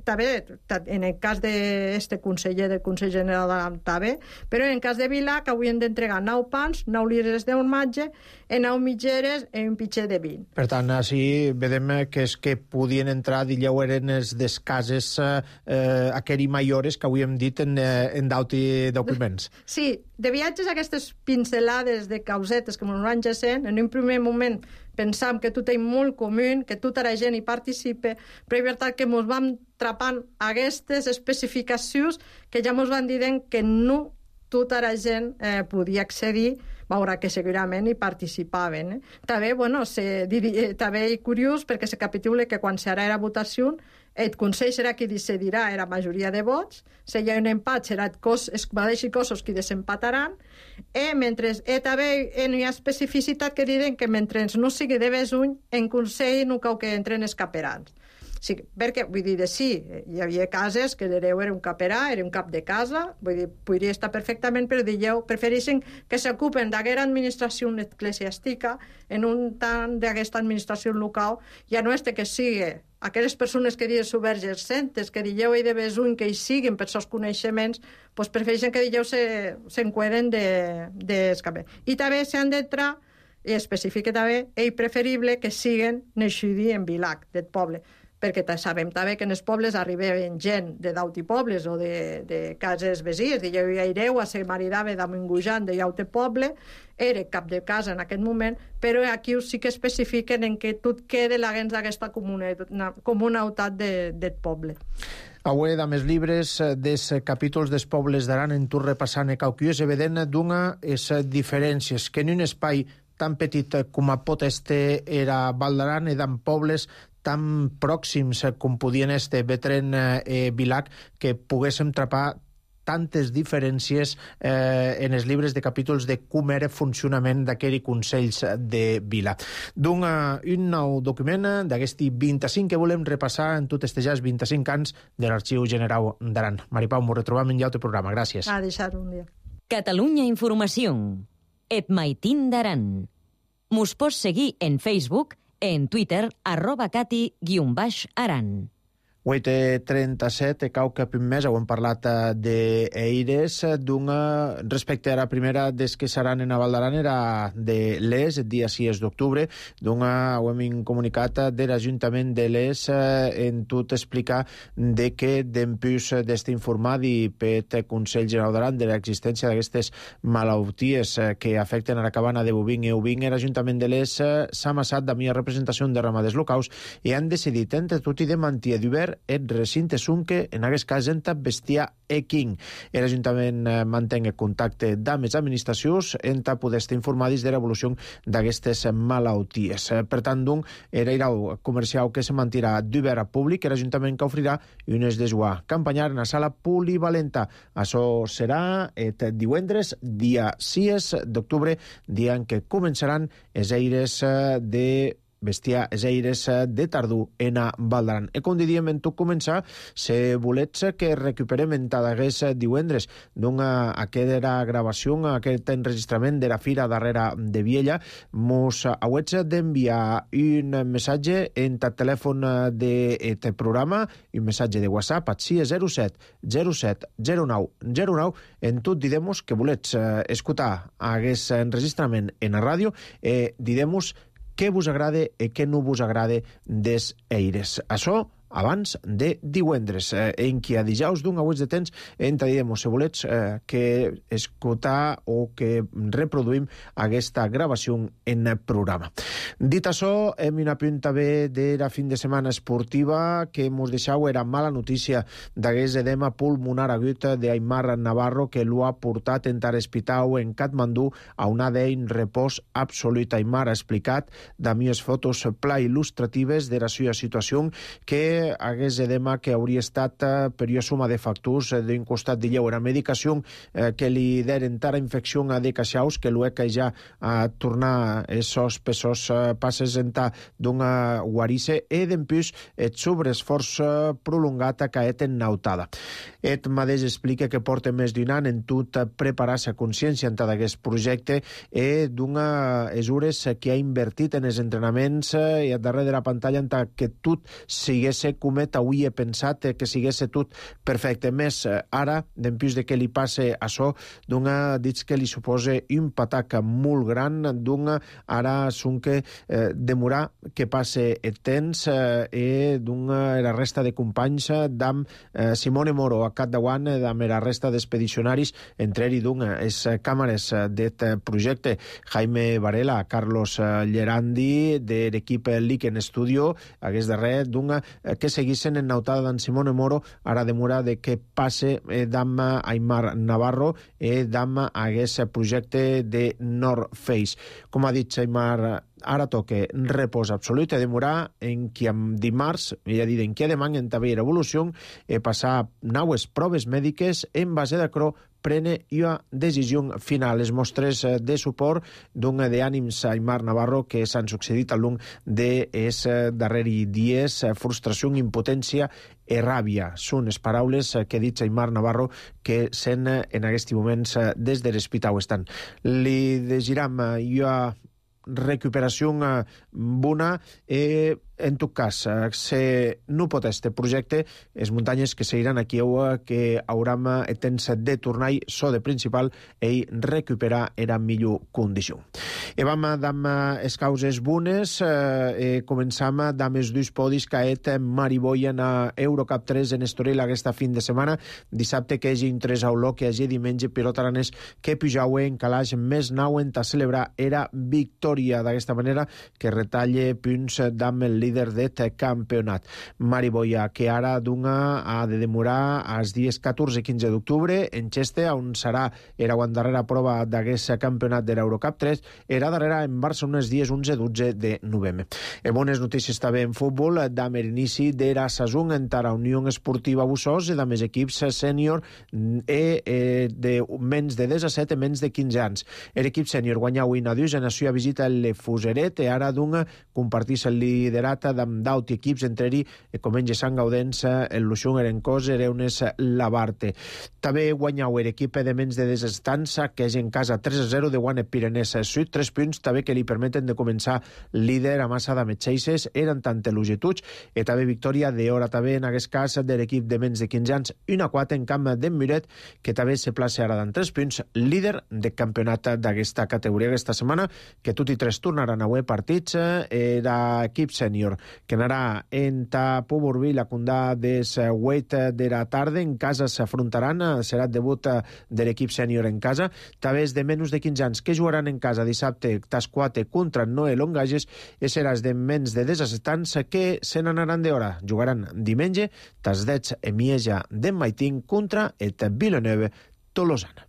també, en el cas d'este conseller del Consell General d'Aran, també, però en el cas de Vilà, que avui hem d'entregar 9 pans, 9 litres d'hormatge, 9 mitgeres i un pitxer de 20. Per tant, així vedem que és que podien entrar, dilleu, eren les cases aqueri maiores que avui hem dit en d'auti documents. Sí, de viatges aquestes pincelades de causetes que ens van jacent, en un primer moment pensam que tot és molt comú, que tota la gent hi participa, però és veritat que ens vam trapant aquestes especificacions que ja ens van dient que no tota la gent podia accedir, veurà que segurament hi participaven. També, també és curiós perquè se capitula que quan serà la votació el Consell serà qui decidirà la majoria de vots, si hi ha un empat serà els mateixos cossos qui desempataran, mentre també hi ha especificitat que diuen que mentre no sigui de besuny, en Consell no cau que entren els caperans. Sí, perquè, vull dir, sí, hi havia cases que l'hereu era un caperà, era un cap de casa, vull dir, podria estar perfectament, però dieu, prefereixen que s'ocupen d'aquesta administració eclesiàstica en un tant d'aquesta administració local, ja no és que sigui aquelles persones que diuen subvergents, que dieu de besuny que hi siguin per seus coneixements, doncs prefereixen que dieu s'enqueden d'escapar. I també s'han d'entrar, i especifica també, és preferible que siguen naixudi en Vilac, del poble, perquè sabem també que en els pobles arribaven gent de d'auti pobles o de cases vesies, i jo ireu a ser maridava d'Amingujant de llaute poble, era cap de casa en aquest moment, però aquí sí que especifiquen en què tot queda l'agents d'aquesta comunautat del poble. Avui, dames llibres, dels capítols dels pobles d'Aran, en tu repassant el cauquiós, evident d'una les diferències, que en un espai tan petit com a pot este era Val d'Aran, i d'en pobles tan pròxims com podien este Betren Vilac, que poguéssim trapar tantes diferències en els llibres de capítols de com era funcionament d'aquells consells de vila. Un nou document d'aquesti 25 que volem repassar en tot este ja 25 anys de l'Arxiu General d'Aran. Maripau, m'ho retrobam en l'altre programa. Gràcies. A deixar un dia. Catalunya Informació. Et Maitín d'Aran. Mos pots seguir en Facebook, en Twitter, @cati_aran. 8:37, cau cap un mes, hem parlat d'Eires, respecte a la primera des que seran en Val d'Aran era de l'ES, el dia 6 d'octubre, ho hem comunicat de l'Ajuntament de l'ES en tot explicar de que d'empús d'este informat i per Consell General d'Aran de l'existència d'aquestes malalties que afecten a la cabana de bovin i ovin, l'Ajuntament de l'ES s'ha amassat de mi representació de ramaders locals i han decidit entre tot i de mantenir d'obert el recinte Sunque, en aquest cas en bestiar King. L'Ajuntament manté contacte amb les administracions en poder estar informats de l'evolució d'aquestes malalties. Per tant, el comercial que se mantirà d'obert a públic, l'Ajuntament que ofrirà unes desguà campanyar en la sala polivalenta. Això serà el divendres, dia 6 d'octubre, dia en què començaran els aires de bestiar els aires de tardor en Val d'Aran. I com diríem en tot començar, si volets que recuperem en tadagués divendres aquesta gravació, aquest enregistrament de la fira darrere de Viella, mos hauets d'enviar un missatge en el telèfon d'aquest programa, un missatge de WhatsApp al 607 07 09 09. En tot didem-nos que volets escoltar aquest enregistrament en la ràdio i didem-nos què vos agrada i què no vos agrada des Eires. Això abans de divendres, en què a dijous d'un hauets de temps direm, si volets que escoltar o que reproduïm aquesta gravació en el programa. Dit això, hem una punta bé de la fin de setmana esportiva que mos deixau era mala notícia d'aquest edema pulmonar agut d'Aimar Navarro que l'ho ha portat en l'hospital en Katmandú a una d'ell repòs absolut. Aimar ha explicat d'amies fotos pla il·lustratives de la seva situació que hagués edema que hauria estat per una suma de factors d'un costat de lleu. Era medicació que li deren tara infecció de caixaus que l'UECA ja a tornar esos pesos passes en ta d'una guarice i d'empús et sobreesforç prolongat a caet en nautada. Et mateix explica que porta més d'un any en tot preparar-se a consciència en d'aquest projecte i d'una mesures que ha invertit en els entrenaments i a darrere de la pantalla en que tot sigués sé com avui he pensat que sigués tot perfecte. Més ara, dempús de que li passe açò, dits que li suposa un patac molt gran, ara sonque demorar que passe el temps i la resta de companys d'am Simone Moro a capdavant d'am la resta d'expedicionaris, entre ell les càmeres d'aquest projecte, Jaime Varela, Carlos Llerandi de l'equip Liken Studio, hagués darrer que seguissin en nautada d'en Simone Moro, ara demora de que passe d'am Aimar Navarro i d'am hagués projecte de North Face. Com ha dit Aimar, ara toca repòs absolut i demorar en qui amb dimarts, ja dit en qui demà en també evolució, passar naues proves mèdiques en base de cro prene una decisió final. Les mostres de suport d'ànims a Aimar Navarro que s'han succeït al long dels darrers dies, frustració, impotència i ràbia. Són les paraules que ha dit Aimar Navarro que sent en aquests moments des de l'hospital estan. Li desitjam una recuperació bona i en tot cas, si no pot este projecte, les muntanyes que seguiran aquí que hauram el temps de tornar so de principal i recuperar era millor condició. I vam amb les causes bones, començam amb els dos podis que ha et Mariboyen a Eurocup 3 en Estoril aquesta fin de setmana. Dissabte que hagi 3 a Oló, que hagi diumenge pilot aranès que Pujaue en calaix més nauen a celebrar era victòria d'aquesta manera que retalle punts d'am el líder d'aquest campionat. Mariboia, que ara ha de demorar als dies 14 i 15 d'octubre en Cheste, on serà era darrera prova d'aquest campionat de l'Eurocup 3, era darrera en Barcelona els dies 11-12 de novembre. Bones notícies també en futbol, d'am l'inici d'era saison entre la Unió Esportiva Bussós i d'am els equips sènior de menys de 17 i menys de 15 anys. L'equip sènior guanyà avui a Dius en la seva visita al Fuseret i ara compartís el liderat d'am d'aut equips entre ell Comenge Sant Gaudens, el Luxung Erencós, Ereunes Labarte. També guanyau l'equip de menys de 17 anys que és en casa 3-0 de Guanet Pirenès Sud, 3 punts també que li permeten de començar líder a massa d'am Xeixes, eren tant longituds i també victòria d'hora també en aquest cas de l'equip de menys de 15 anys, 1-4 en camp d'en Muret, que també se plaça ara d'en 3 punts, líder de campionat d'aquesta categoria aquesta setmana, que tot i 3 tornaran avui partits. L'equip sènior que anarà en Puburbi, la condà des 8 de la tarda, en casa s'afrontaran, serà el debut de l'equip sènior en casa, també és de menys de 15 anys que jugaran en casa dissabte tas 4 contra Noé Longages i seràs de menys de 17 anys que se n'anaran d'hora. Jugaran diumenge tas 10 en Mieja d'en Maitín contra el Villeneuve Tolosana.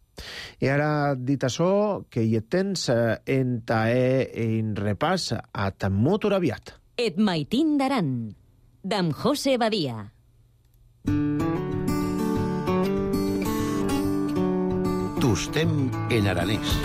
I ara, dit això, que hi tens en repàs a motor aviat. Et Maitín d'Aran, d'en José Badia. Tostem en aranès.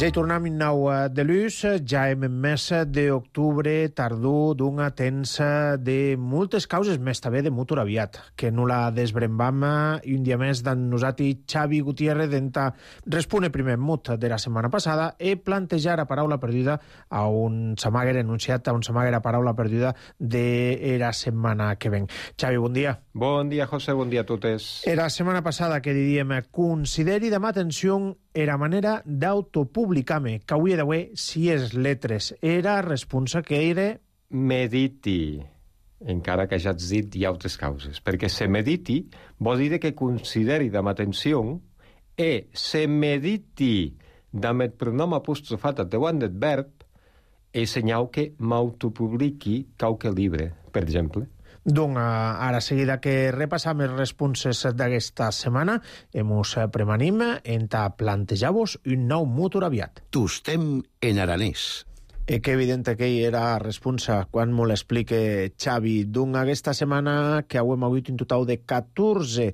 Ja hi tornem en nou de l'ús, ja hem en mes d'octubre tardor d'un temps de moltes causes, més també de motor aviat, que no la desbrembam i un dia més d'en nosaltres Xavi Gutiérrez d'enta respone primer mot de la setmana passada i plantejar a paraula perduda a un samaguer enunciat, a un samaguer a paraula perduda de la setmana que ven. Xavi, bon dia. Bon dia, José, bon dia a totes. La setmana passada que diríem consideri demà atenció era manera d'autopublicar-me, que avui d'avui, si és letres, era responsa que era... Mediti, encara que ja has dit hi ha altres causes, perquè se mediti vol dir que consideri amb atenció e se mediti amb el pronom apostrofat davant del verb e senyal que m'autopubliqui qualque llibre, per exemple. Doncs ara seguida que repassam les responses d'aquesta setmana, ens premanim en plantejar-vos un nou motor aviat. Tostem en aranès. Que evident que hi era responsa quan m'ho l'explique Xavi. Doncs aquesta setmana que hem hagut un total de 14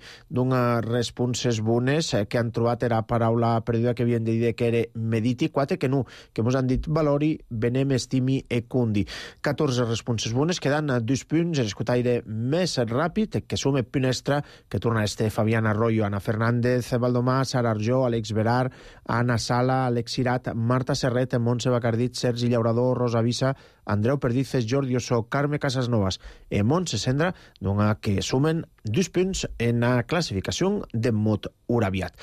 responses bones que han trobat la paraula perduda que havien de dir que era mediti, 4 que no, que ens han dit valori, venem, estimi e cundi. 14 responses bones, quedant 2 punts, l'escotaire més ràpid, que som el punt extra, que torna Fabián Arroyo, Ana Fernández, Valdomar, Sara Arjó, Àlex Berard, Anna Sala, Alex Sirat, Marta Serret, Montse Bacardit, Sergi Llaurat, col·laborador Rosa Visa, Andreu Perdices, Jordi Osso, Carme Casasnovas e Montse Sendra, que sumen 2 punts en la classificació de mot uraviat.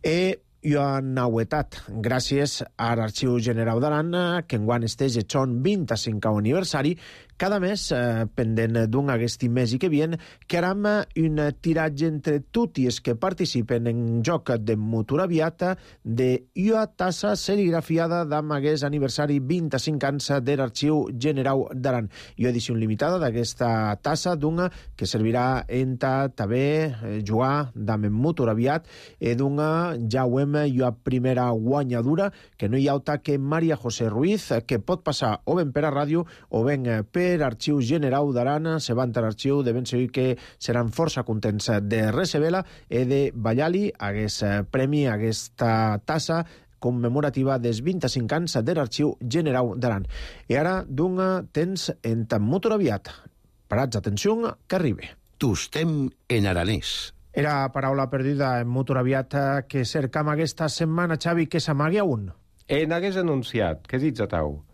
I a nauetat, gràcies a l'Arxiu General d'Aran, que enguany estege son 25 aniversari, cada mes, pendent d'un aquest mes i que vien, que haram un tiratge entre tutti els que participen en joc de motor aviat de una tassa serigrafiada d'am aquest aniversari 25 anys de l'Arxiu General d'Aran. I edició limitada d'aquesta tassa d'una que servirà en també jugar d'am en motor aviat i d'una ja ho hem i a primera guanyadura, que no hi ha altra que Maria José Ruiz, que pot passar o ben per a ràdio o ben per Arxiu General d'Aran. Se van a l'arxiu de ben segur que seran força contents de receber-la i de ballar-li aquest premi, aquesta tassa commemorativa dels 25 anys de l'Arxiu General d'Aran. I ara d'un temps en tan motor aviat. Parats, atenció, que arribi. Tostem en aranès. Era paraula perduda en motor aviat que cercam aquesta setmana, Xavi, que s'amagui a un. En hagués anunciat, què dius a tau?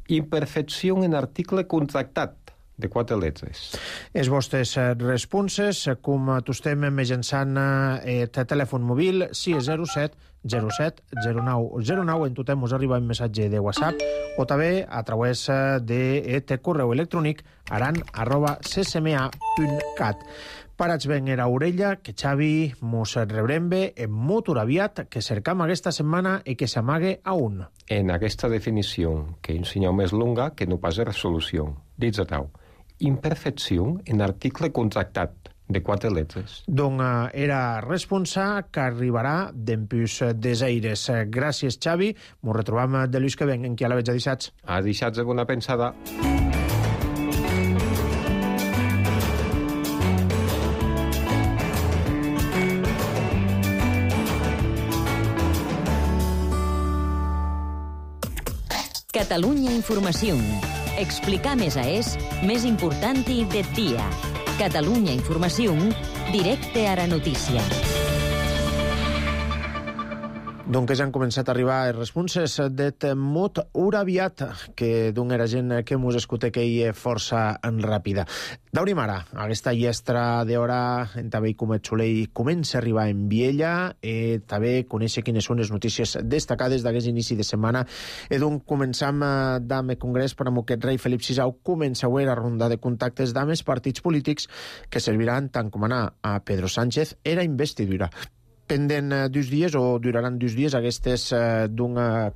Imperfecció en article contractat de 4 letres. Els vostres responses, com t'estem mitjançant el telèfon mòbil 607 07 09 09, en totem us arriba un missatge de WhatsApp o també a través de correu electrònic aran@ccma.cat. Parats ben era orella, que Xavi mos rebrem bé en motor aviat que cercam aquesta setmana i que s'amague a un. En aquesta definició, que un senyor més longa que no pas resolució, dius a tau, imperfecció en article contractat de 4 letres. Donc era responsa que arribarà d'empús des aires. Gràcies, Xavi. Mos retrobam de l'ús que ven en qui a la veig a dissats. A dissats de bona pensada. Catalunya Informació. Explicar més més important i de dia. Catalunya Informació, directe a la notícia. Donc ja han començat a arribar els responses d'et mot uraviat, que d'un era gent que mos escute que hi és força ràpida. D'aurim ara, aquesta llestra d'hora en també com et solei comença a arribar en Viella i també conèixer quines són les notícies destacades d'aquest inici de setmana. I doncs començam d'ame congrés per amb aquest rei Felip VI comença a la ronda de contactes d'ames partits polítics que serviran tant com anar a Pedro Sánchez era investidura. Pendent 2 dies o duraran 2 dies aquestes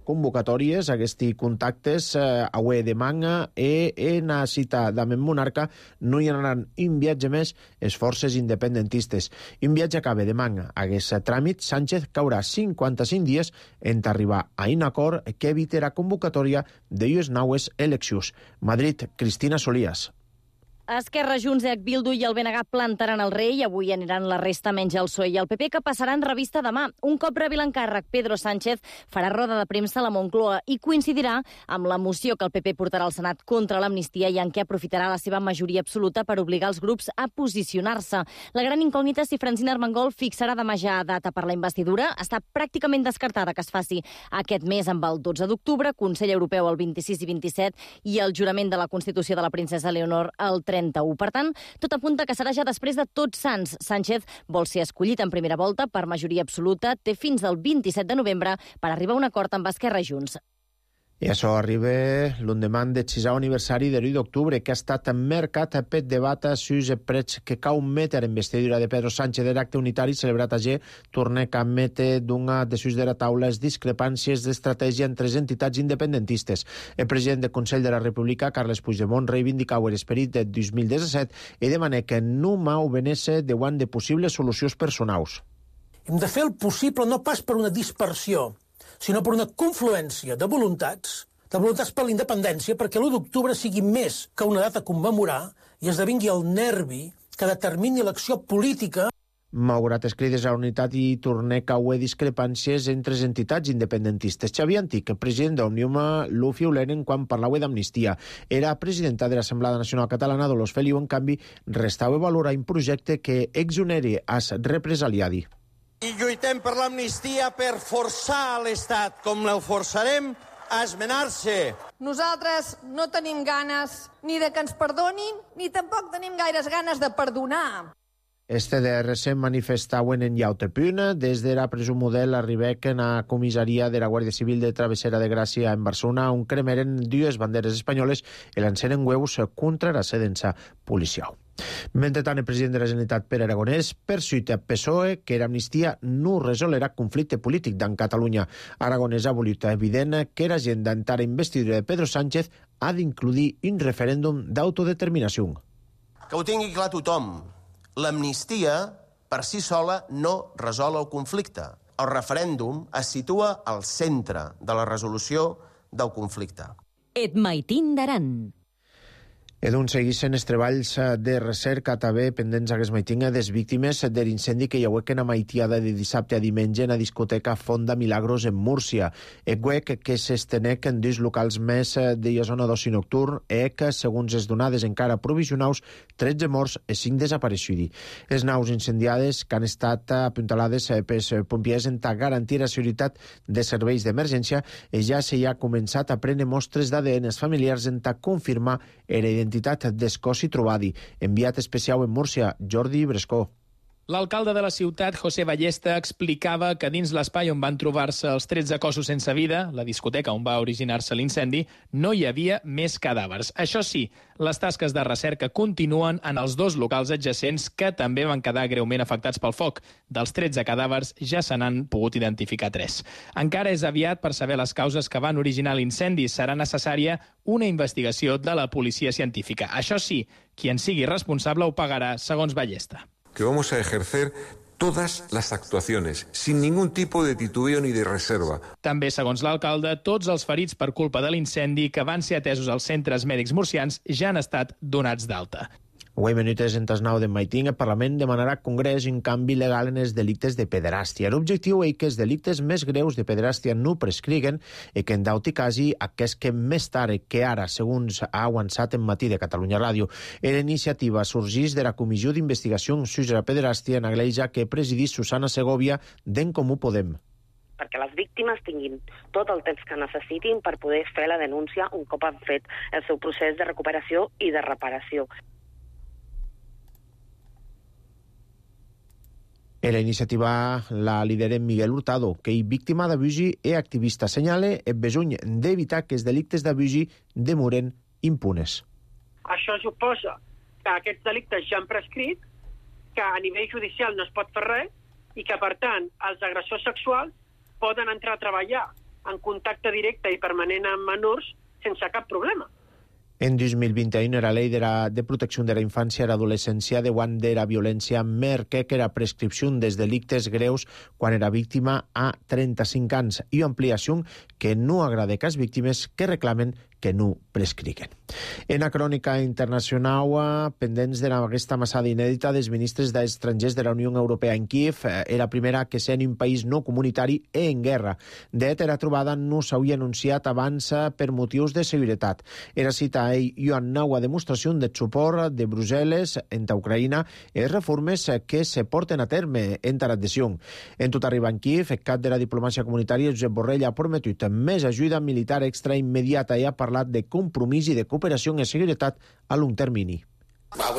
convocatòries, aquests contactes avui de manga i en la cita d'Amen Monarca no hi haurà un viatge més les forces independentistes. Un viatge acaba de manga. Aquest tràmit, Sánchez caurà 55 dies en arribar a un acord que evite la convocatòria de les noves eleccions. Madrid, Cristina Solías. Esquerra, Junts, Bildu i el BNG plantaran el rei i avui aniran la resta menys el PSOE i el PP, que passaran revista demà. Un cop rebi l'encàrrec, Pedro Sánchez farà roda de premsa a la Moncloa i coincidirà amb la moció que el PP portarà al Senat contra l'amnistia i en què aprofitarà la seva majoria absoluta per obligar els grups a posicionar-se. La gran incògnita és si Francina Armengol fixarà demà ja data per la investidura. Està pràcticament descartada que es faci aquest mes amb el 12 d'octubre, Consell Europeu el 26 i 27 i el jurament de la Constitució de la princesa Leonor el 31. Per tant, tot apunta que serà ja després de Tots Sants. Sánchez vol ser escollit en primera volta per majoria absoluta, té fins al 27 de novembre per arribar a un acord amb Esquerra i Junts. I això arriba l'endemà del 6è aniversari de l'1 d'octubre, que ha estat marcat per debat sus prets que cau metre en investidura de Pedro Sánchez de l'acte unitari celebrat ayer, torna a metre d'una de sus de la taula les discrepàncies d'estratègia entre les entitats independentistes. El president del Consell de la República, Carles Puigdemont, reivindicau l'esperit de 2017 i demana que no mau venesse davant de possibles solucions personals. Hem de fer el possible no pas per una dispersió, sinó per una confluència de voluntats per la independència, perquè l'1 d'octubre sigui més que una data a commemorar i esdevingui el nervi que determini l'acció política. Malgrat els crides a la unitat i tornar a caure discrepàncies entre les entitats independentistes. Xavier Antic, president d'Òmnium, lo fiuleren quan parlava d'amnistia. Era presidenta de l'Assemblea Nacional Catalana, Dolors Feliu, en canvi, restava valorar un projecte que exoneri als represaliadi. I lluitem per l'amnistia per forçar l'Estat, com el forçarem a esmenar-se. Nosaltres no tenim ganes ni de que ens perdonin, ni tampoc tenim gaires ganes de perdonar. Este DRC manifestauen en Llautepuna. Des de la presó model arribaren a comissaria de la Guàrdia Civil de Travessera de Gràcia en Barcelona, on cremeren dues banderes espanyoles i lanceren hueus contra la sedença policial. Mentrestant, el president de la Generalitat, Pere Aragonès, persuita PSOE que l'amnistia no resolerà conflicte polític d'en Catalunya. Aragonès ha volut evident que l'agenda entara investidura de Pedro Sánchez ha d'incluir un referèndum d'autodeterminació. Que ho tingui clar tothom. L'amnistia, per si sola, no resol el conflicte. El referèndum es situa al centre de la resolució del conflicte. Et maitin d'Aran. Edun segueixen els treballs de recerca també pendents aquest maitinga des víctimes de l'incendi que hi hauequen a maitiada de dissabte a diumenge en la discoteca Fonda Milagros en Múrcia. El huec que s'estenec en dos locals més de la zona d'oci nocturn que, segons les donades encara provisionals, 13 morts i 5 desapareixudi. Les naus incendiades que han estat apuntalades pels pompiers en garantir la seguretat de serveis d'emergència ja s'hi ha començat a prendre mostres d'ADN familiars en confirmar la identitat d'Escosi Trobadi. Enviat especial en Múrcia, Jordi Brescó. L'alcalde de la ciutat, José Ballesta, explicava que dins l'espai on van trobar-se els 13 cossos sense vida, la discoteca on va originar-se l'incendi, no hi havia més cadàvers. Això sí, les tasques de recerca continuen en els dos locals adjacents que també van quedar greument afectats pel foc. Dels 13 cadàvers ja se n'han pogut identificar 3. Encara és aviat per saber les causes que van originar l'incendi. Serà necessària una investigació de la policia científica. Això sí, qui en sigui responsable ho pagarà, segons Ballesta. Que vamos a ejercer todas las actuaciones, sin ningún tipo de titubeo ni de reserva. També, segons l'alcalde, tots els ferits per culpa de l'incendi que van ser atesos als centres mèdics murcians ja han estat donats d'alta. Avui minutes en tasnau de Maiting, el Parlament demanarà al Congrés un canvi legal en els delictes de pederàstia. L'objectiu és que els delictes més greus de pederàstia no prescriguen i que en dauti casi aquest que més tard que ara, segons ha avançat en Matí de Catalunya Ràdio. La iniciativa sorgeix de la Comissió d'Investigació sobre la Pederàstia en Agleja que presidís Susana Segovia d'En Comú Podem. Perquè les víctimes tinguin tot el temps que necessitin per poder fer la denúncia un cop han fet el seu procés de recuperació i de reparació. En la iniciativa la lidera Miguel Hurtado, que és víctima d'abusi i activista. Senyala el besony d'evitar que els delictes d'abusi demoren impunes. Això suposa que aquests delictes ja han prescrit, que a nivell judicial no es pot fer res i que, per tant, els agressors sexuals poden entrar a treballar en contacte directe i permanent amb menors sense cap problema. En 2021, la Llei de Protecció de la Infància i l'Adolescència diuen de la violència merca que la prescripció dels delictes greus quan era víctima a 35 anys i ampliació que no agrada que les víctimes que reclamen que no prescriguen. En la crònica internacional, pendents d'aquesta massada inèdita dels ministres d'estrangers de la Unió Europea en Kíev, era la primera que sent un país no comunitari en guerra. De fet, la trobada no s'havia anunciat abans per motius de seguretat. Era cita a ell una nova demostració de suport de Brussel·les entre Ucraïna i les reformes que se porten a terme entre l'adhesió. En tot arribar en Kíev, el cap de la diplomàcia comunitària, Josep Borrell, ha prometut més ajuda militar extra immediata i ha parlat de compromís i de cooperació en seguretat a long termini. El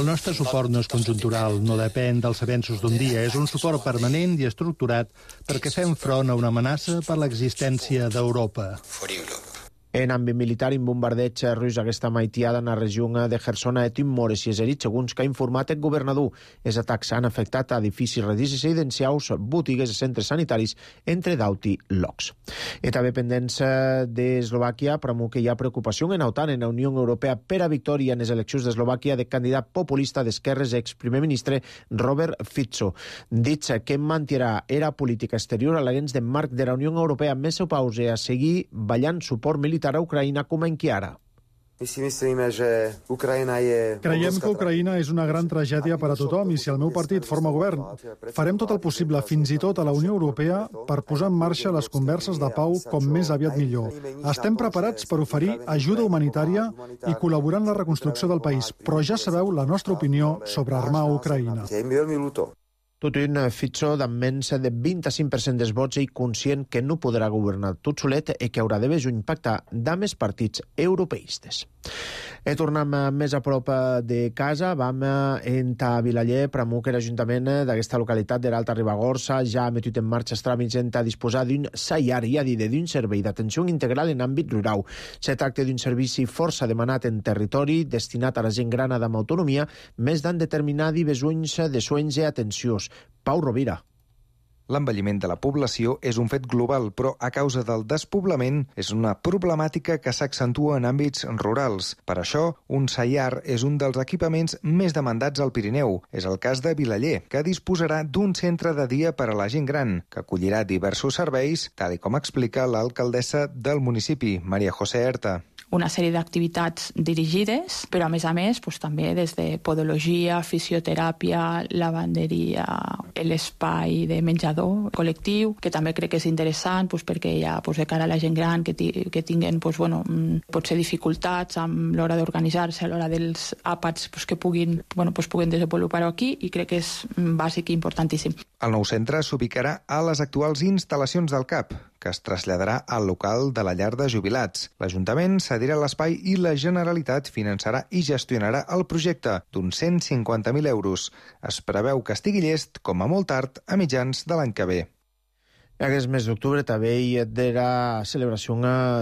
nostre suport no és conjuntural, no depèn dels avenços d'un dia. És un suport permanent i estructurat perquè fem front a una amenaça per l'existència d'Europa. En àmbit militar, un bombardeig rus aquesta maitiada en la regió de Kherson a Timores i Eserit, segons que ha informat el governador. Els atacs han afectat edificis residencials, botigues i centres sanitaris, entre d'altres llocs. I també pendents d'Eslovàquia, però que hi ha preocupació en l'OTAN, en la Unió Europea, per a victòria en les eleccions d'Eslovàquia de candidat populista d'esquerres ex-primer ministre Robert Fico. Dit que mantindrà era política exterior a l'agents de marc de la Unió Europea més o pause a seguir ballant suport militar a Ucraïna com en Chiara. Creiem que Ucraïna és una gran tragèdia per a tothom i si el meu partit forma govern, farem tot el possible, fins i tot a la Unió Europea, per posar en marxa les converses de pau com més aviat millor. Estem preparats per oferir ajuda humanitària i col·laborar en la reconstrucció del país, però ja sabeu la nostra opinió sobre armar Ucraïna. Tot un Fitxó d'amb menys de 25% dels vots i conscient que no podrà governar tot solet i que haurà de juny pactar amb els partits europeistes. I tornem més a prop de casa. Vam a Vilaller, Pramuc, l'Ajuntament d'aquesta localitat de l'Alta Ribagorça ja ha metut en marxa els tràmits a disposar d'un SAIAR, i a dir d'un servei d'atenció integral en àmbit rural. Se tracta d'un servici força demanat en territori, destinat a la gent gran amb autonomia, més d'en determinats besoins de soins i atencions. Pau Rovira. L'envelliment de la població és un fet global, però a causa del despoblament és una problemàtica que s'accentua en àmbits rurals. Per això, un SAIAR és un dels equipaments més demandats al Pirineu. És el cas de Vilaller, que disposarà d'un centre de dia per a la gent gran, que acollirà diversos serveis, tal com explica l'alcaldessa del municipi, Maria José Herta. Una sèrie d'activitats dirigides, però a més també des de podologia, fisioteràpia, lavanderia, l'espai de menjador col·lectiu, que també crec que és interessant perquè hi ha de cara a la gent gran que tinguen potser dificultats amb l'hora d'organitzar-se, a l'hora dels àpats que puguin desenvolupar-ho aquí, i crec que és bàsic i importantíssim. El nou centre s'ubicarà a les actuals instal·lacions del CAP, que es traslladarà al local de la llar de jubilats. L'Ajuntament cedirà l'espai i la Generalitat finançarà i gestionarà el projecte d'uns 150.000 euros. Es preveu que estigui llest, com a molt tard, a mitjans de l'any que ve. Aquest mes d'octubre també hi ha la celebració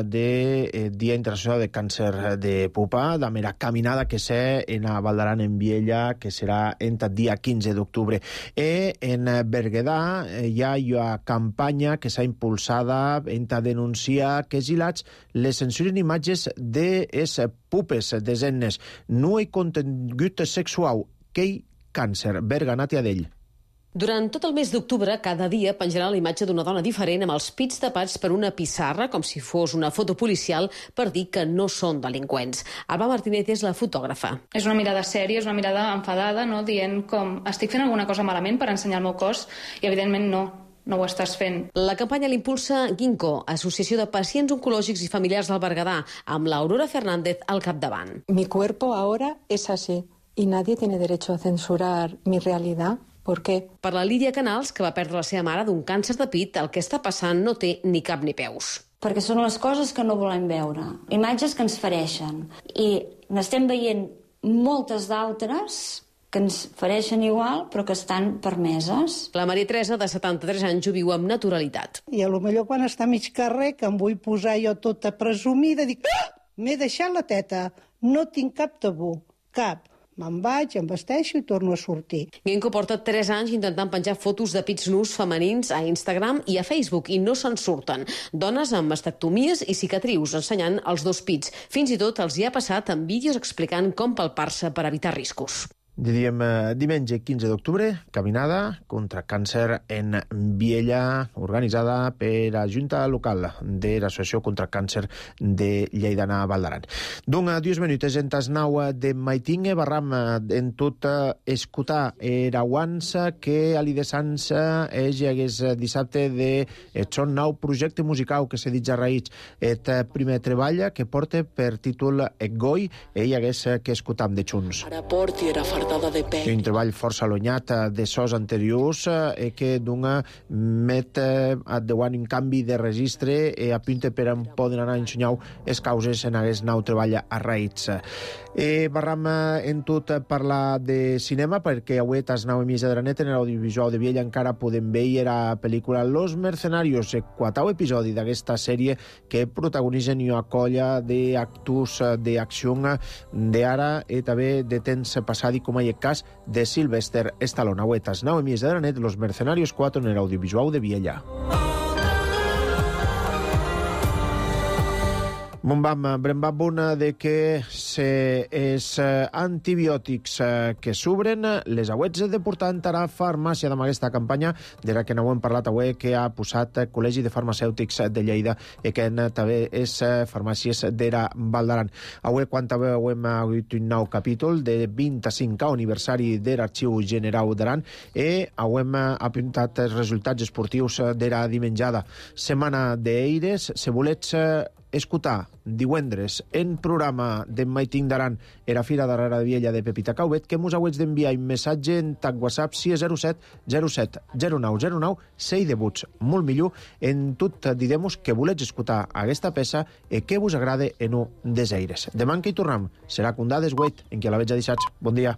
del Dia Internacional de Càncer de Pupa, de la caminada que sé en Valdaran en Viella, que serà el dia 15 d'octubre. I en Berguedà hi ha una campanya que s'ha impulsada en denunciar que els gilats les censuren imatges de les pupes de nenes. No hi contingut sexual, que hi càncer. Berga, Nàtia d'ell. Durant tot el mes d'octubre, cada dia penjarà la imatge d'una dona diferent amb els pits tapats per una pissarra, com si fos una foto policial, per dir que no són delinqüents. Alba Martínez és la fotògrafa. És una mirada sèria, és una mirada enfadada, no? Dient com estic fent alguna cosa malament per ensenyar el meu cos, i evidentment no ho estàs fent. La campanya l'impulsa Ginkgo, Associació de Pacients Oncològics i Familiars del Berguedà, amb l'Aurora Fernández al capdavant. Mi cuerpo ahora es así y nadie tiene derecho a censurar mi realidad. ¿Por qué? Per la Lídia Canals, que va perdre la seva mare d'un càncer de pit, el que està passant no té ni cap ni peus. Perquè són les coses que no volem veure, imatges que ens fereixen, i n'estem veient moltes d'altres que ens fereixen igual, però que estan permeses. La Maria Teresa, de 73 anys, ho viu amb naturalitat. I potser quan està a mig carrer, que em vull posar jo tota presumida, dic, m'he deixat la teta, no tinc cap tabú, cap. Me'n vaig, em vesteixo i torno a sortir. Ginkgo porta 3 anys intentant penjar fotos de pits nus femenins a Instagram i a Facebook i no se'n surten. Dones amb mastectomies i cicatrius ensenyant els 2 pits. Fins i tot els hi ha passat amb vídeos explicant com palpar-se per evitar riscos. Diríem diumenge 15 d'octubre, caminada contra càncer en Viella, organitzada per la Junta Local de l'Associació contra Càncer de Lleidana Valdaran. D'un 10 minuts en tas 9 de Maitingue, barram en tot escutar erauans que a l'Idesans és hagués dissabte de son nou projecte musical que s'ha dit ja raïts et primer treball que porta per títol Goi, ell hagués que escutam de Junts. Un treball força allunyat de sos anteriors que dona met a deuant un canvi de registre i apunta per on poden anar a ensenyar les causes en aquest nou treball a raïts. Barram en tot parlar de cinema perquè avui a les 9:30 de la nit en l'audiovisual de Viella encara podem veure la pel·lícula Los Mercenarios, el 4è episodi d'aquesta sèrie que protagonitzen una colla d'actors d'acció d'ara i també de temps passat i com a el cas de Sylvester Stallone. Avui a les 9:30 de la nit, Los Mercenarios 4 en l'audiovisual de Viella. Brembam de que els antibiòtics que s'obren les auets de portar a la farmàcia amb aquesta campanya de la que no hem parlat avui que ha posat el Col·legi de Farmacèutics de Lleida i que també és farmàcies de la Valdaran. Avui quan també hem hagut un nou capítol de 25è aniversari de l'Arxiu General d'Aran i hem apuntat els resultats esportius de la dimenjada. Setmana d'Eires, se volets escutar divendres en programa d'en Maiting d'Aran era Fira Darrera de Viella de Pepita Caubet, que mos hauets d'enviar un missatge en tag WhatsApp 607 07 0909 6 debuts, molt millor. En tot didemos que volets escutar aquesta peça i que vos agrade en un des aires. Demà que hi tornem serà condades 8, en què la veig a dissats. Bon dia.